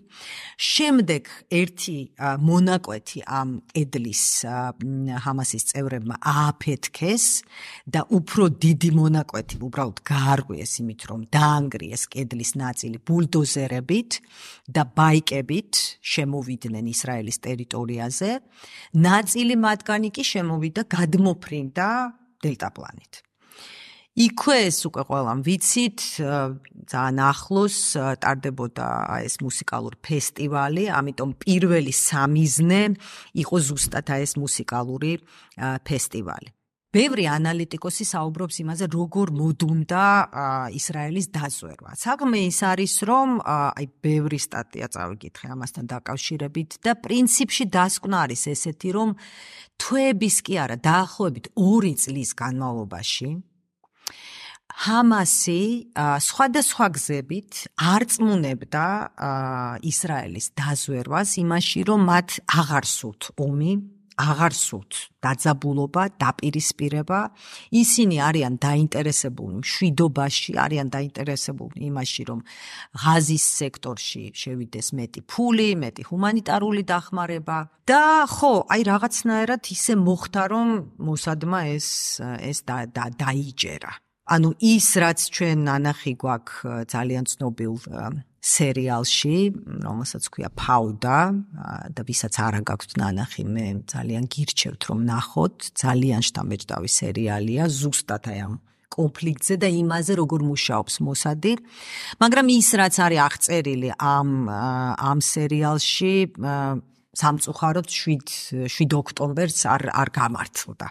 S1: შემდეგ ერთი მონაკვეთი ამ კედლის ჰამასის წევრებმა ააფეთქეს და უფრო დიდი მონაკვეთი უბრალოდ გაარღვიეს იმით, რომ დაანგრიეს კედლის ნაწილი ბულდოზერებით და ბაიკებით შემოვიდნენ ისრაელის ტერიტორიაზე. ნაწილი მათგანი კი შემოვიდა გადმოფრინდა დელტაპლანით. იქვე ეს უკვე ყველამ ვიცით, ძალიან ახლოს ტარდებოდა ეს მუსიკალური ფესტივალი, ამიტომ პირველი სამიზნე იყო ზუსტად ეს მუსიკალური ფესტივალი. ბევრი ანალიტიკოსი საუბრობს იმაზე, როგორ მოდუნდა ისრაელის დაზვერვა. საქმე ის არის, რომ აი ბევრი სტატია წავიკითხე ამასთან დაკავშირებით და პრინციპში დასკვნა არის ესეთი, რომ თვეების კი არა, დაახლოებით ორი წლის განმავლობაში ჰამასი სხვადასხვა გზებით არწმუნებდა ისრაელის დაზვერვას იმაში, რომ მათ აღარ სურთ ომი, აღარ სურთ დაძაბულობა, დაპირისპირება. ისინი არიან დაინტერესებულნი მშვიდობაში, არიან დაინტერესებულნი იმაში, რომ ღაზის სექტორში შევიდეს მეტი ფული, მეტი ჰუმანიტარული დახმარება და ხო, აი რაღაცნაირად ისე მოხდა, რომ მოსადმა ეს ეს დაიჯერა. ანუ ის, რაც ჩვენ ნანახი გვაქვს ძალიან ცნობილ სერიალში, რომელსაც ქვია ფაუდა და ვისაც არ აქვს ნანახი, მე ძალიან გირჩევთ, რომ ნახოთ, ძალიან შთამბეჭდავი სერიალია, ზუსტად აი ამ კონფლიქტზე და იმაზე, როგორ მუშაობს მოსადი. მაგრამ ის, რაც არის აღწერილი ამ ამ სერიალში, სამწუხაროდ შვიდ ოქტომბერს არ არ გამართლდა.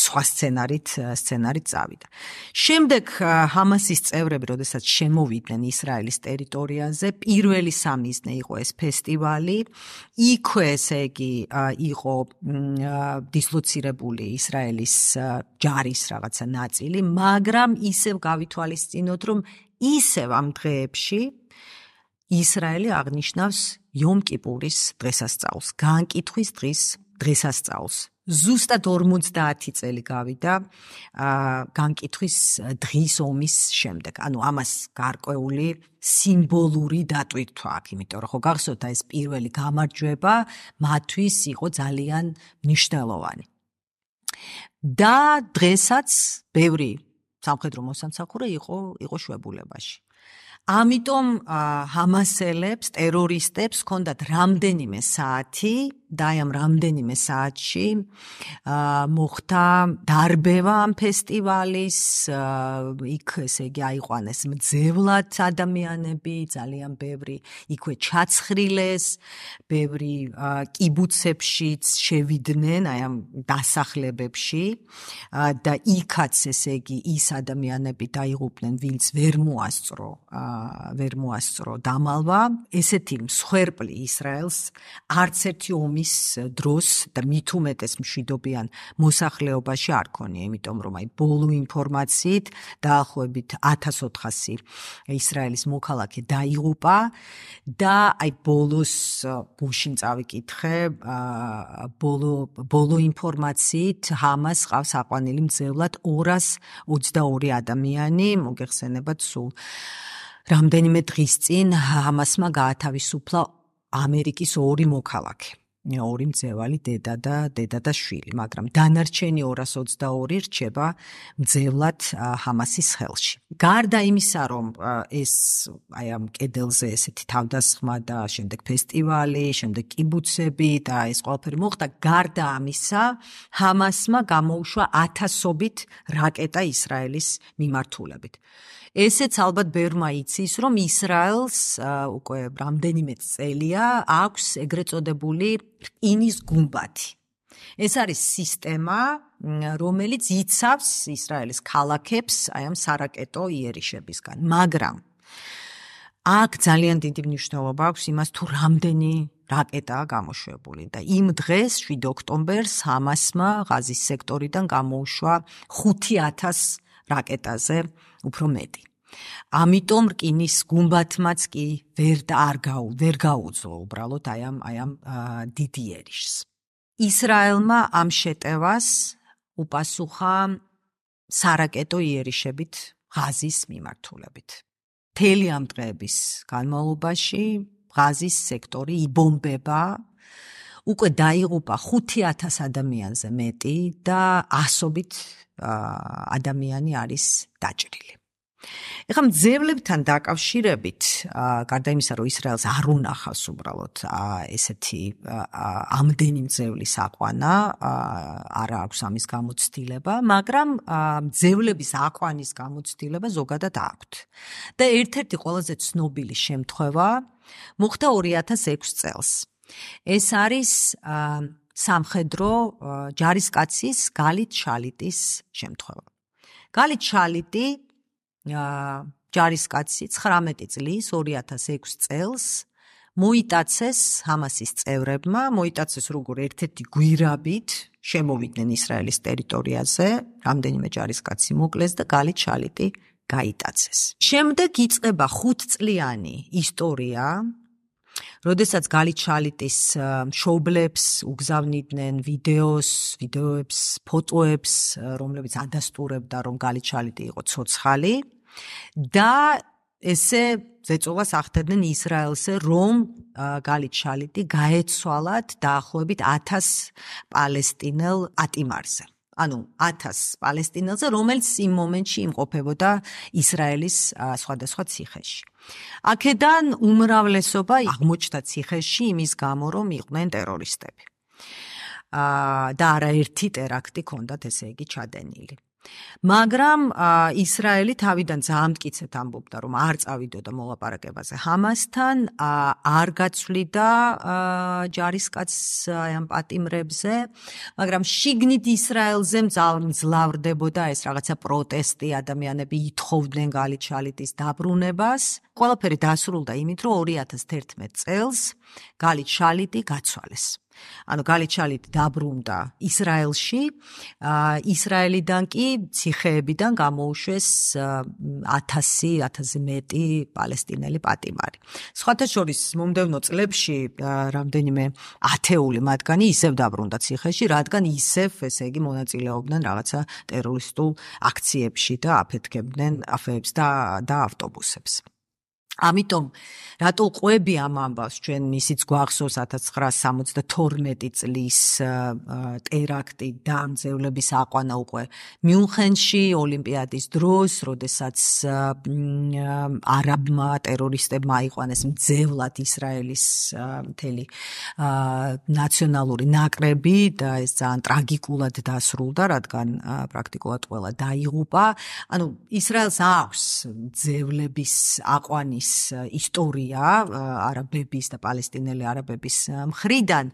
S1: სხვა სცენარით სცენარით წავიდა. შემდეგ ჰამასის წევრები, როდესაც შემოვიდნენ ისრაელის ტერიტორიაზე, პირველი სამიზნე იყო ეს ფესტივალი. იქვე, ესე იგი, იყო დისლოცირებული ისრაელის ჯარის რაღაცა ნაწილი, მაგრამ ისევ გავითვალისწინოთ, რომ ისევ ამ დღეებში ისრაელი აღნიშნავს იომ კიპურის დღესასწაულს, განკითხვის დღის დღესასწაულს. ზუსტად ორმოცდაათი წელი გავიდა განკითხვის დღის ომის შემდეგ. ანუ ამას გარკვეული სიმბოლური დატვირთვა აქვს, იმიტომ რომ ხო გახსოვთ ეს პირველი გამარჯვება მათთვის იყო ძალიან მნიშვნელოვანი. და დღესაც ბევრი სამხედრო მოსამსახურე იყო იყო შვებულებაში. ამიტომ ჰამასელებს, ტერორისტებს ჰქონდათ რამდენიმე საათი და აი ამ რამდენიმე საათში მოხდა დარბევა ამ ფესტივალის, იქ ესე იგი აიყვანეს მძევლად ადამიანები, ძალიან ბევრი იქვე ჩაცხრილეს, ბევრი კიბუცებშიც შევიდნენ, აი ამ დასახლებებში და იქაც ესე იგი ის ადამიანები დაიღუპნენ, ვინც ვერ მოასწრო ვერ მოასწრო დამალვა. ესეთი მსხვერპლი ისრაელს არც ერთი ომის დროს და მით უმეტეს მშვიდობიან მოსახლეობაში არ ქონია, იმიტომ რომ აი ბოლო ინფორმაციით დაახლოებით ათას ოთხასი ისრაელის მოქალაქე დაიღუპა და აი ბოლოს გუშინ წავიკითხე, ბოლო ბოლო ინფორმაციით ჰამას ყავს აყვანილი მძევლად ორას ოცდაორი ადამიანი, მოგეხსენებათ სულ რამდენიმე დღის წინ ჰამასმა გაათავისუფლა ამერიკის ორი მოქალაქე, ორი მძევალი დედა და დედა და შვილი, მაგრამ დანარჩენი ორას ოცდაორი რჩება მძევლად ჰამასის ხელში. გარდა იმისა, რომ ეს აი ამ კედელზე ესეთი თავდასხმა და შემდეგ ფესტივალი, შემდეგ კიბუცები და ეს ყველაფერი მოხდა, გარდა ამისა, ჰამასმა გამოუშვა ათასობით რაკეტა ისრაელის მიმართულებით. ესეც ალბათ ბევრმა იცის, რომ ისრაელს უკვე რამდენიმე წელია აქვს ეგრეთ წოდებული რკინის გუმბათი. ეს არის სისტემა, რომელიც იცავს ისრაელის ქალაქებს აი ამ სარაკეტო იერიშებისგან, მაგრამ აქ ძალიან დიდი მნიშვნელობა აქვს იმას, თუ რამდენი რაკეტაა გამოშვებული და იმ დღეს შვიდ ოქტომბერს ჰამასმა ღაზის სექტორიდან გამოუშვა ხუთი ათას რაკეტაზე უფრო მეტი. ამიტომ რკინის გუმბათმაც კი ვერ და არ გაუ ვერ გაუძლო უბრალოდ აი ამ აი ამ დიდი იერიშს. ისრაელმა ამ შეტევას უპასუხა სარაკეტო იერიშებით ღაზის მიმართულებით. მთელი ამ დღეების განმავლობაში ღაზის სექტორი იბომბება, უკვე დაიღუპა ხუთი ათას ადამიანზე მეტი და ასობით ადამიანი არის დაჭრილი. ეხლა მძევლებთან დაკავშირებით, გარდა იმისა, რომ ისრაელს არ უნახავს უბრალოდ ესეთი ამდენი მძევლის აყვანა, არ აქვს ამის გამოცდილება, მაგრამ მძევლების აყვანის გამოცდილება ზოგადად აქვთ. და ერთ-ერთი ყველაზე ცნობილი შემთხვევა მოხდა ორი ათას ექვსი წელს. ეს არის სამხედრო ჯარისკაცის გალით შალიტის შემთხვევა. გალით შალიტი ჯარისკაცი ცხრამეტი წლის ორი ათას ექვსი წელს მოიტაცეს ჰამასის წევრებმა, მოიტაცეს როგორ ერთ-ერთი გვირაბით შემოვიდნენ ისრაელის ტერიტორიაზე, რამდენიმე ჯარისკაცი მოკლეს და გალით შალიტი გაიტაცეს. შემდეგ იწყება ხუთწლიანი ისტორია, როდესაც გალით შალიტის მშობლებს უგზავნიდნენ ვიდეოს, ვიდეოებს, ფოტოებს, რომლებიც ადასტურებდა, რომ გალით შალიტი იყო ცოცხალი და ესე ზეწოლას ახდენდნენ ისრაელზე, რომ გალით შალიტი გაეცვალათ დაახლოებით ათას პალესტინელ პატიმარზე. ანუ ათას პალესტინელზე, რომელიც იმ მომენტში იმყოფებოდა ისრაელის სხვადასხვა ციხეში. აქედან უმრავლესობა აღმოჩნდა ციხეში იმის გამო, რომ იყვნენ ტერორისტები. და არაერთი ტერაქტი ჰქონდათ ესე იგი ჩადენილი. მაგრამ ისრაელი თავიდან ძალიან მტკიცედ ამბობდა, რომ არ წავიდოდა მოლაპარაკებაზე ჰამასთან, არ გაცვლიდა ჯარისკაცს აი ამ პატიმრებზე, მაგრამ შიგნით ისრაელზე მძლავრდებოდა ეს რაღაცა პროტესტი, ადამიანები ითხოვდნენ გალით შალიტის დაბრუნებას. ყველაფერი დასრულდა იმით, რომ ორი ათას თერთმეტი წელს გალით შალიტი გაცვალეს. ანუ გალით შალიტი დაბრუნდა ისრაელში, ისრაელიდან კი ციხეებიდან გამოუშვეს ათასი, ათასზე მეტი პალესტინელი პატიმარი. სხვათა შორის მომდევნო წლებში რამდენიმე ათეული მათგანი ისევ დაბრუნდა ციხეში, რადგან ისევ, ესე იგი, მონაწილეობდნენ რაღაცა ტერორისტულ აქციებში და აფეთქებდნენ აფეებს და და ავტობუსებს. ამიტომ რატო ყვები ამ ამბავს ჩვენ ისიც გვახსოვს ათას ცხრაასი სამოცდათორმეტი წლის ტერაქტი და ამძევლების აყვანა უკვე მიუნხენში ოლიმპიადის დროს, როდესაც არაბმა ტერორისტებმა აიყვანეს მძევლად ისრაელის მთელი ნაციონალური ნაკრები და ეს ძალიან ტრაგიკულად დასრულდა, რადგან პრაქტიკულად ყველა დაიღუპა. ანუ ისრაელს აქვს მძევლების აყვანის ისტორია არაბების და პალესტინელი არაბების მხრიდან,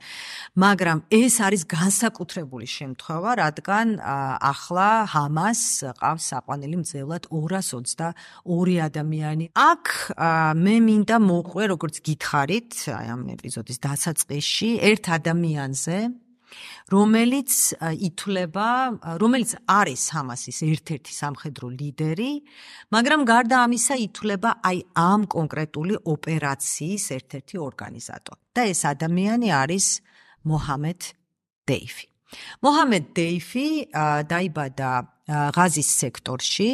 S1: მაგრამ ეს არის განსაკუთრებული შემთხვევა, რადგან ახლა ჰამას ყავს აყვანილი მძევლად ორას ოცდაორი ადამიანი. აქ მე მინდა მოყვე, როგორც გითხარით, აი ამ ეპიზოდის დასაწყისში, ერთ ადამიანზე, რომელიც ითვლება, რომელიც არის ჰამასის ერთ-ერთი სამხედრო ლიდერი, მაგრამ გარდა ამისა ითვლება აი ამ კონკრეტული ოპერაციის ერთ-ერთი ორგანიზატორი. და ეს ადამიანი არის მოჰამედ დეიფი. მოჰამედ დეიფი დაიბადა ღაზის სექტორში,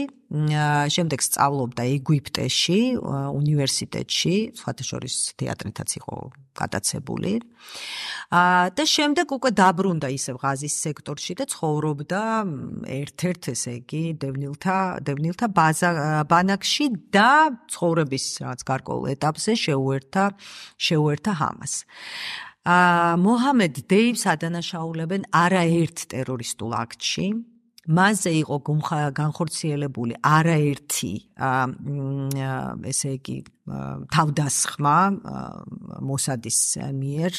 S1: შემდეგ სწავლობდა ეგვიპტეში, უნივერსიტეტში, სხვათა შორის თეატრითაც იყო გატაცებული. და შემდეგ უკვე დაბრუნდა ისევ ღაზის სექტორში და ცხოვრობდა ერთ-ერთ, ესე იგი, დევნილთა დევნილთა ბანაკში და ცხოვრების რაღაც გარკვეულ ეტაპზე შეუერთა შეუერთა ჰამას. მოჰამედ დეიფს ადანაშაულებენ არაერთ ტერორისტულ აქტში. მასზე იყო განხორციელებული არაერთი ესე იგი თავდასხმა მოსადის მიერ.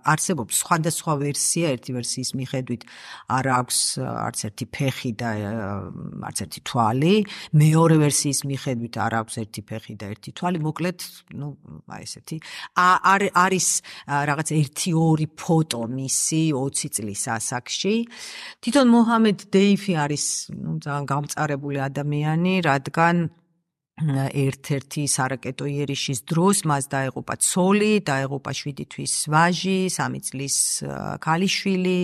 S1: არსებობს სხვადასხვა ვერსია, ერთი ვერსიის მიხედვით არ აქვს არც ერთი ფეხი და არც ერთი თვალი, მეორე ვერსიის მიხედვით არ აქვს ერთი ფეხი და ერთი თვალი. მოკლედ, ну, აი ესეთი არის რაღაც ერთი ორი ფოტო მისი ოცი წლის ასაკში. თვითონ მოჰამედ დეიფი არის, ну, ძალიან გამწარებული ადამიანი, რადგან ერთ-ერთი სარაკეტო იერიშის დროს მას დაეღუპა ცოლი, დაეღუპა შვიდი თვის ვაჟი, სამი წლის ქალიშვილი.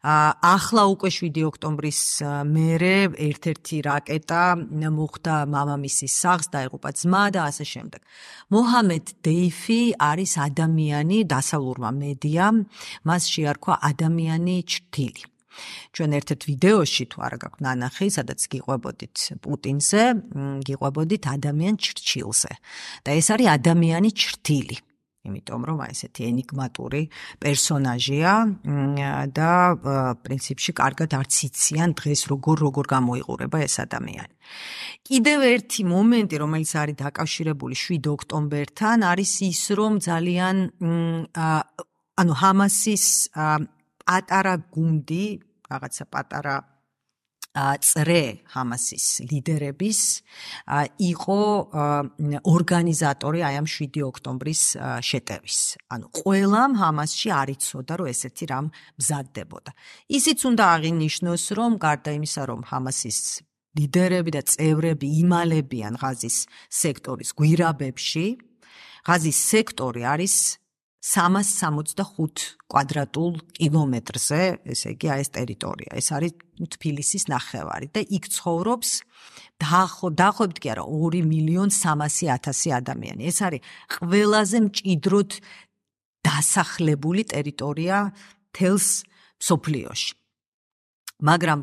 S1: ახლა უკვე შვიდი ოქტომბრის მერე ერთ-ერთი რაკეტა მოხვდა მამამისის სახლს, დაეღუპა ძმა და ასე შემდეგ. მოჰამედ დეიფი არის ადამიანი, დასავლურმა მედიამ მას შეარქვა ადამიანი ჩრდილი. ჩვენ ერთ-ერთ ვიდეოში თუ არა გაქვთ ნანახი, სადაც გიყვებოდით პუტინზე, გიყვებოდით ადამიან ჩრჩილზე. და ეს არის ადამიანი ჩრდილი. იმიტომ რომ აი ესეთი ენიგმატური პერსონაჟია და პრინციპში კარგად არც იციან დღეს როგორ როგორ გამოიყურება ეს ადამიანი. კიდევ ერთი მომენტი, რომელიც არის დაკავშირებული შვიდ ოქტომბერთან, არის ის, რომ ძალიან ანუ ჰამასის პატარა გუნდი, რაღაცა პატარა წრე ჰამასის ლიდერების იყო ორგანიზატორი აი ამ შვიდი ოქტომბრის შეტევის. ანუ ყველამ ჰამასში არ იცოდა, რომ ესეთი რამ მზადდებოდა. ისიც უნდა აღინიშნოს, რომ გარდა იმისა, რომ ჰამასის ლიდერები და წევრები იმალებიან ღაზის სექტორის გვირაბებში, ღაზის სექტორი არის სამას სამოცდახუთ კვადრატულ კილომეტრზე, ესე იგი, ეს ტერიტორია. ეს არის თბილისის ნახევარი და იქ ცხოვრობს დაახლოებით კი არა ორი მილიონი სამასი ათასი ადამიანი. ეს არის ყველაზე მჭიდროდ დასახლებული ტერიტორია თელს მსოფლიოში. მაგრამ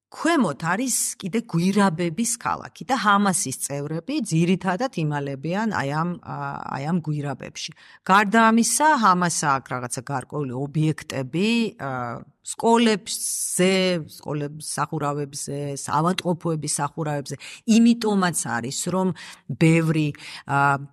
S1: ქვემოთ არის კიდე გვირაბების ქალაქი და ჰამასის წევრები ძირითადად იმალებიან აი ამ აი ამ გვირაბებში. გარდა ამისა, ჰამასს აქვს რაღაცა გარკვეული ობიექტები სკოლებზე, სკოლების სახურავებზე, ავადმყოფოების სახურავებზე. იმიტომაც არის, რომ ბევრი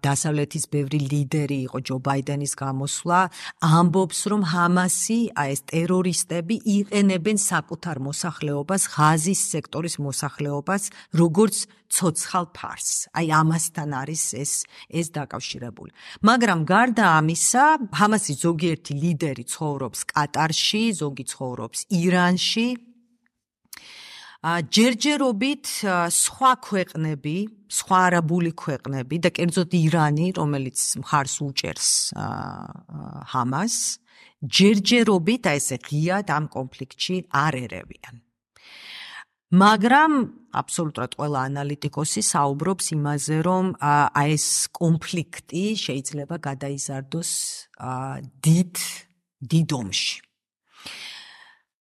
S1: დასავლეთის ბევრი ლიდერი იყო ჯო ბაიდენის გამოსვლა, ამბობს, რომ ჰამასი, აი ეს ტერორისტები იყენებენ საკუთარ მოსახლეობას, ღაზის სექტორის მოსახლეობას, როგორც ცოცხალ ფარს. აი ამასთან არის ეს ეს დაკავშირებული. მაგრამ გარდა ამისა, ჰამასის ზოგიერთი ლიდერი ცხოვრობს კატარში, ზოგი ცხოვრობს ირანში. ჯერჯერობით სხვა ქვეყნები, სხვა არაბული ქვეყნები და კერძოდ ირანი, რომელიც მხარს უჭერს ჰამას, ჯერჯერობით აი ესე ღიად ამ კონფლიქტში არ ერევიან. მაგრამ აბსოლუტურად ყველა ანალიტიკოსი საუბრობს იმაზე, რომ აი ეს კონფლიქტი შეიძლება გადაიზარდოს დიდ დიდ ომში.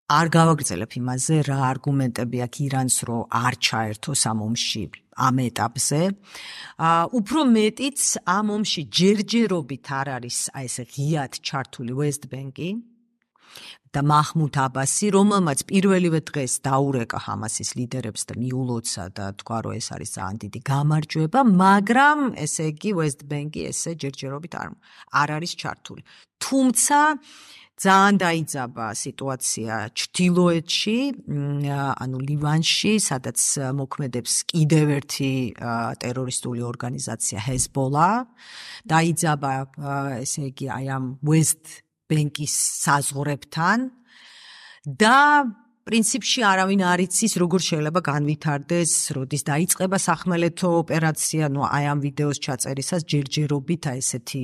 S1: არ გავაგრძელებ იმაზე, რა არგუმენტები აქვს ირანს, რომ არ ჩაერთოს ამ ომში ამ ეტაპზე. უფრო მეტიც ამ ომში ჯერჯერობით არ არის აი ეს ღიად ჩართული West Bank-ი და მაჰმუდ აბასი, რომელმაც პირველივე დღეს დაურეკა ჰამასის ლიდერებს და მიულოცა და თქვა, რომ ეს არის ძალიან დიდი გამარჯვება, მაგრამ ესე იგი West Bank-ი ესე ჯერჯერობით არ არ არის ჩართული. თუმცა ძალიან დაიძაბა სიტუაცია ჩრდილოეთში, ანუ ლივანში, სადაც მოქმედებს კიდევ ერთი ტერორისტული ორგანიზაცია ჰეზბოლა. დაიძაბა, ესე იგი, აი ამ West Bank-ის საზღვრებთან და პრინციპში არავინ არ იცის, როგორ შეიძლება განვითარდეს, როდის დაიწყება სახმელეთო ოპერაცია, ну აი ამ ვიდეოს ჩაწერისას ჯერჯერობით აი ესეთი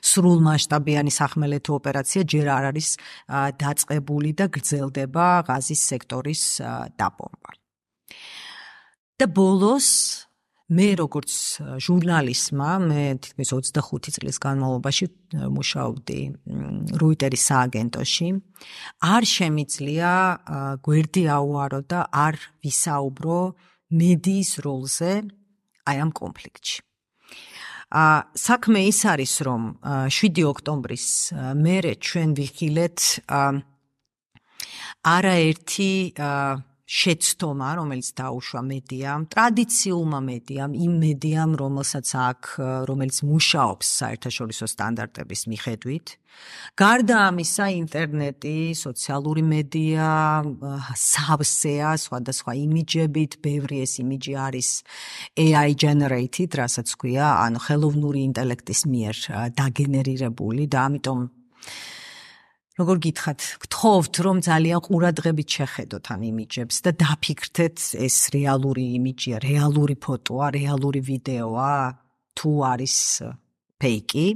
S1: სრულმასშტაბიანი სახმელეთო ოპერაცია ჯერ არ არის დაწყებული და გრძელდება ღაზის სექტორის დაბომბვა. და ბოლოს მე როგორც ჟურნალისტმა, მე თითქმის ოცდახუთი წლის განმავლობაში მუშაობდი როიტერის სააგენტოში, არ შემიძლია გვერდი აუარო და არ ვისაუბრო მედიის როლზე აი ამ კონფლიქტში. საქმე ის არის, რომ შვიდი ოქტომბრის მერე ჩვენ ვიხილეთ არაერთი შეცდომა, რომელიც დაუშვა მედიამ, ტრადიციულმა მედიამ, იმ მედიამ, რომელსაც აქვს, რომელიც მუშაობს საერთაშორისო სტანდარტების მიხედვით. გარდა ამისა, ინტერნეტი, სოციალური მედია, სავსეა, სხვადასხვა იმიჯებით, ბევრი ეს იმიჯი არის A I generated, რასაც ქვია, ანუ ხელოვნური ინტელექტის მიერ დაგენერირებული და ამიტომ როგორ გითხრათ, გთხოვთ, რომ ძალიან ყურადღებით შეხედოთ ამ იმიჯებს და დაფიქრდეთ, ეს რეალური იმიჯია, რეალური ფოტოა, რეალური ვიდეოა, თუ არის ფეიკი.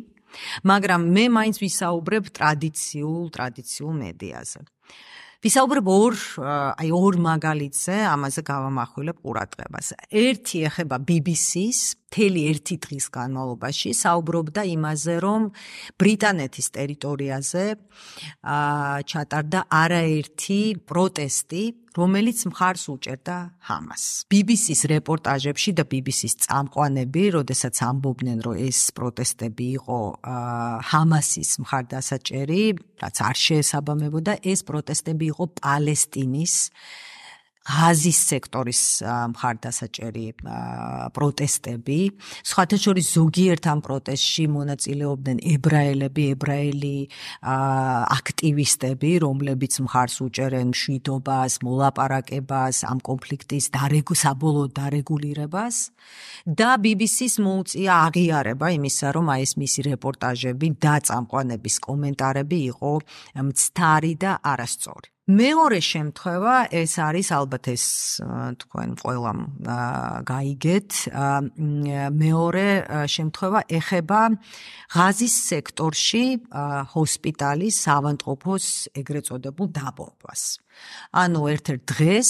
S1: მაგრამ მე მაინც ვისაუბრებ ტრადიციულ, ტრადიციულ მედიაზე. ვისაუბრებ ორ, აი ორ მაგალითზე, ამაზე გავამახვილებ ყურადღებას. ერთი ეხება B B C-ს, მთელი ერთი დღის განმავლობაში საუბრობდა იმაზე, რომ ბრიტანეთის ტერიტორიაზე ჩატარდა არაერთი პროტესტი, რომელიც მხარს უჭერდა ჰამასს. B B C-ს რეპორტაჟებში და B B C-ს წამყვანები, როდესაც ამბობდნენ, რომ ეს პროტესტები იყო ჰამასის მხარდასაჭერი, რაც არ შეესაბამებოდა, ეს პროტესტები იყო პალესტინის ღაზის სექტორის მხარდასაჭერი პროტესტები. სხვათა შორის ზოგიერთ ამ პროტესტში მონაწილეობდნენ ებრაელები, ებრაელი აქტივისტები, რომლებიც მხარს უჭერენ მშვიდობას, მოლაპარაკებას, ამ კონფლიქტის საბოლოო დარეგულირებას და B B C-ს მოუწია აღიარება იმისა, რომ აი ეს მისი რეპორტაჟები და წამყვანების კომენტარები იყო მცდარი და არასწორი. მეორე შემთხვევა ეს არის ალბათ ეს თქვენ ყველამ გაიგეთ მეორე შემთხვევა ეხება ღაზის სექტორში ჰოსპიტალის ავადმყოფოს ეგრეთ წოდებულ დაბომბვას. ანუ ერთ-ერთ დღეს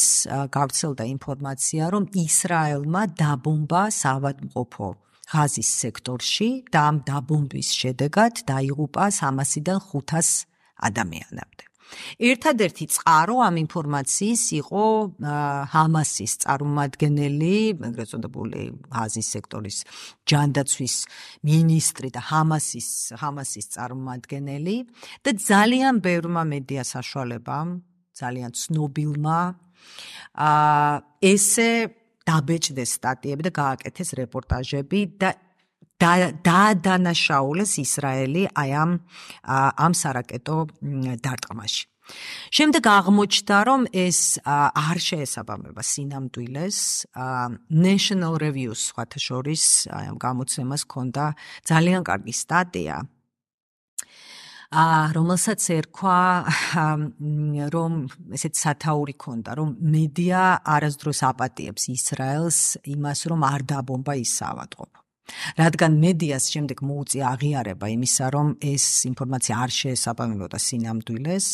S1: გავრცელდა ინფორმაცია, რომ ისრაელმა დაბომბა ავადმყოფო ღაზის სექტორში და ამ დაბომბვის შედეგად დაიღუპა სამასიდან ხუთას ადამიანამდე. ერთადერთი წყარო ამ ინფორმაციის იყო ჰამასის წარმომადგენელი, ეგრეთ წოდებული ღაზის სექტორის ჯანდაცვის მინისტრი და ჰამასის ჰამასის წარმომადგენელი და ძალიან ბევრმა მედია საშუალებამ ძალიან ცნობილმა აა ესე დაბეჭდეს სტატიები და გააკეთეს რეპორტაჟები და დაადანაშაულეს ისრაელი აი ამ ამ სარაკეტო დარტყმაში. შემდეგ აღმოჩნდა, რომ ეს არ შეესაბამება სინამდვილეს. National Review-ს სხვათა შორის აი ამ გამოცემას ჰქონდა ძალიან კარგი სტატია, რომელსაც ერქვა, რომ ესეთ სათაური ჰქონდა, რომ მედია არასდროს აპატიებს ისრაელს იმას, რომ არ დაბომბა ის საავადმყოფო. რადგან მედიას შემდეგ მოუწია აღიარება იმისა, რომ ეს ინფორმაცია არ შეესაბამებოდა სინამდვილეს,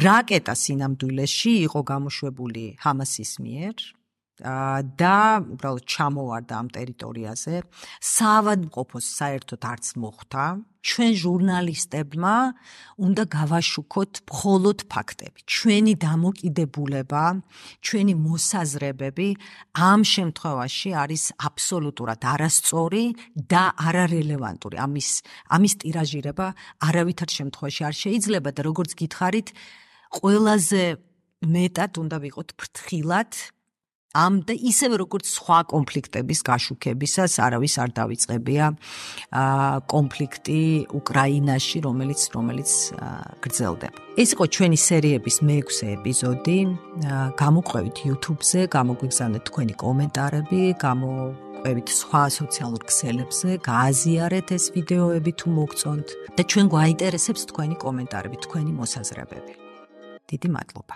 S1: რაკეტა სინამდვილეში იყო გამოშვებული ჰამასის მიერ და უბრალოდ ჩამოვარდა ამ ტერიტორიაზე, საავადმყოფოს საერთოდ არც მოხვდა. ჩვენ ჟურნალისტებმა უნდა გავაშუქოთ მხოლოდ ფაქტები. ჩვენი დამოკიდებულება, ჩვენი მოსაზრებები ამ შემთხვევაში არის აბსოლუტურად არასწორი და არარელევანტური. ამის ამის ტირაჟირება არავითარ შემთხვევაში არ შეიძლება და როგორც გითხარით, ყველაზე მეტად უნდა ვიყოთ ფრთხილად ამ და ისევე როგორც სხვა კონფლიქტების გაშუქებისას არავის არ დავიწყებია კონფლიქტი უკრაინაში, რომელიც რომელიც გრძელდება. ეს იყო ჩვენი სერიების მეექვსე ეპიზოდი. გამოყვებით YouTube-ზე, გამოგვიგზავნეთ თქვენი კომენტარები, გამოყვებით სხვა სოციალურ ქსელებზე, გააზიარეთ ეს ვიდეოები თუ მოგწონთ და ჩვენ გვაინტერესებს თქვენი კომენტარები, თქვენი მოსაზრებები. დიდი მადლობა.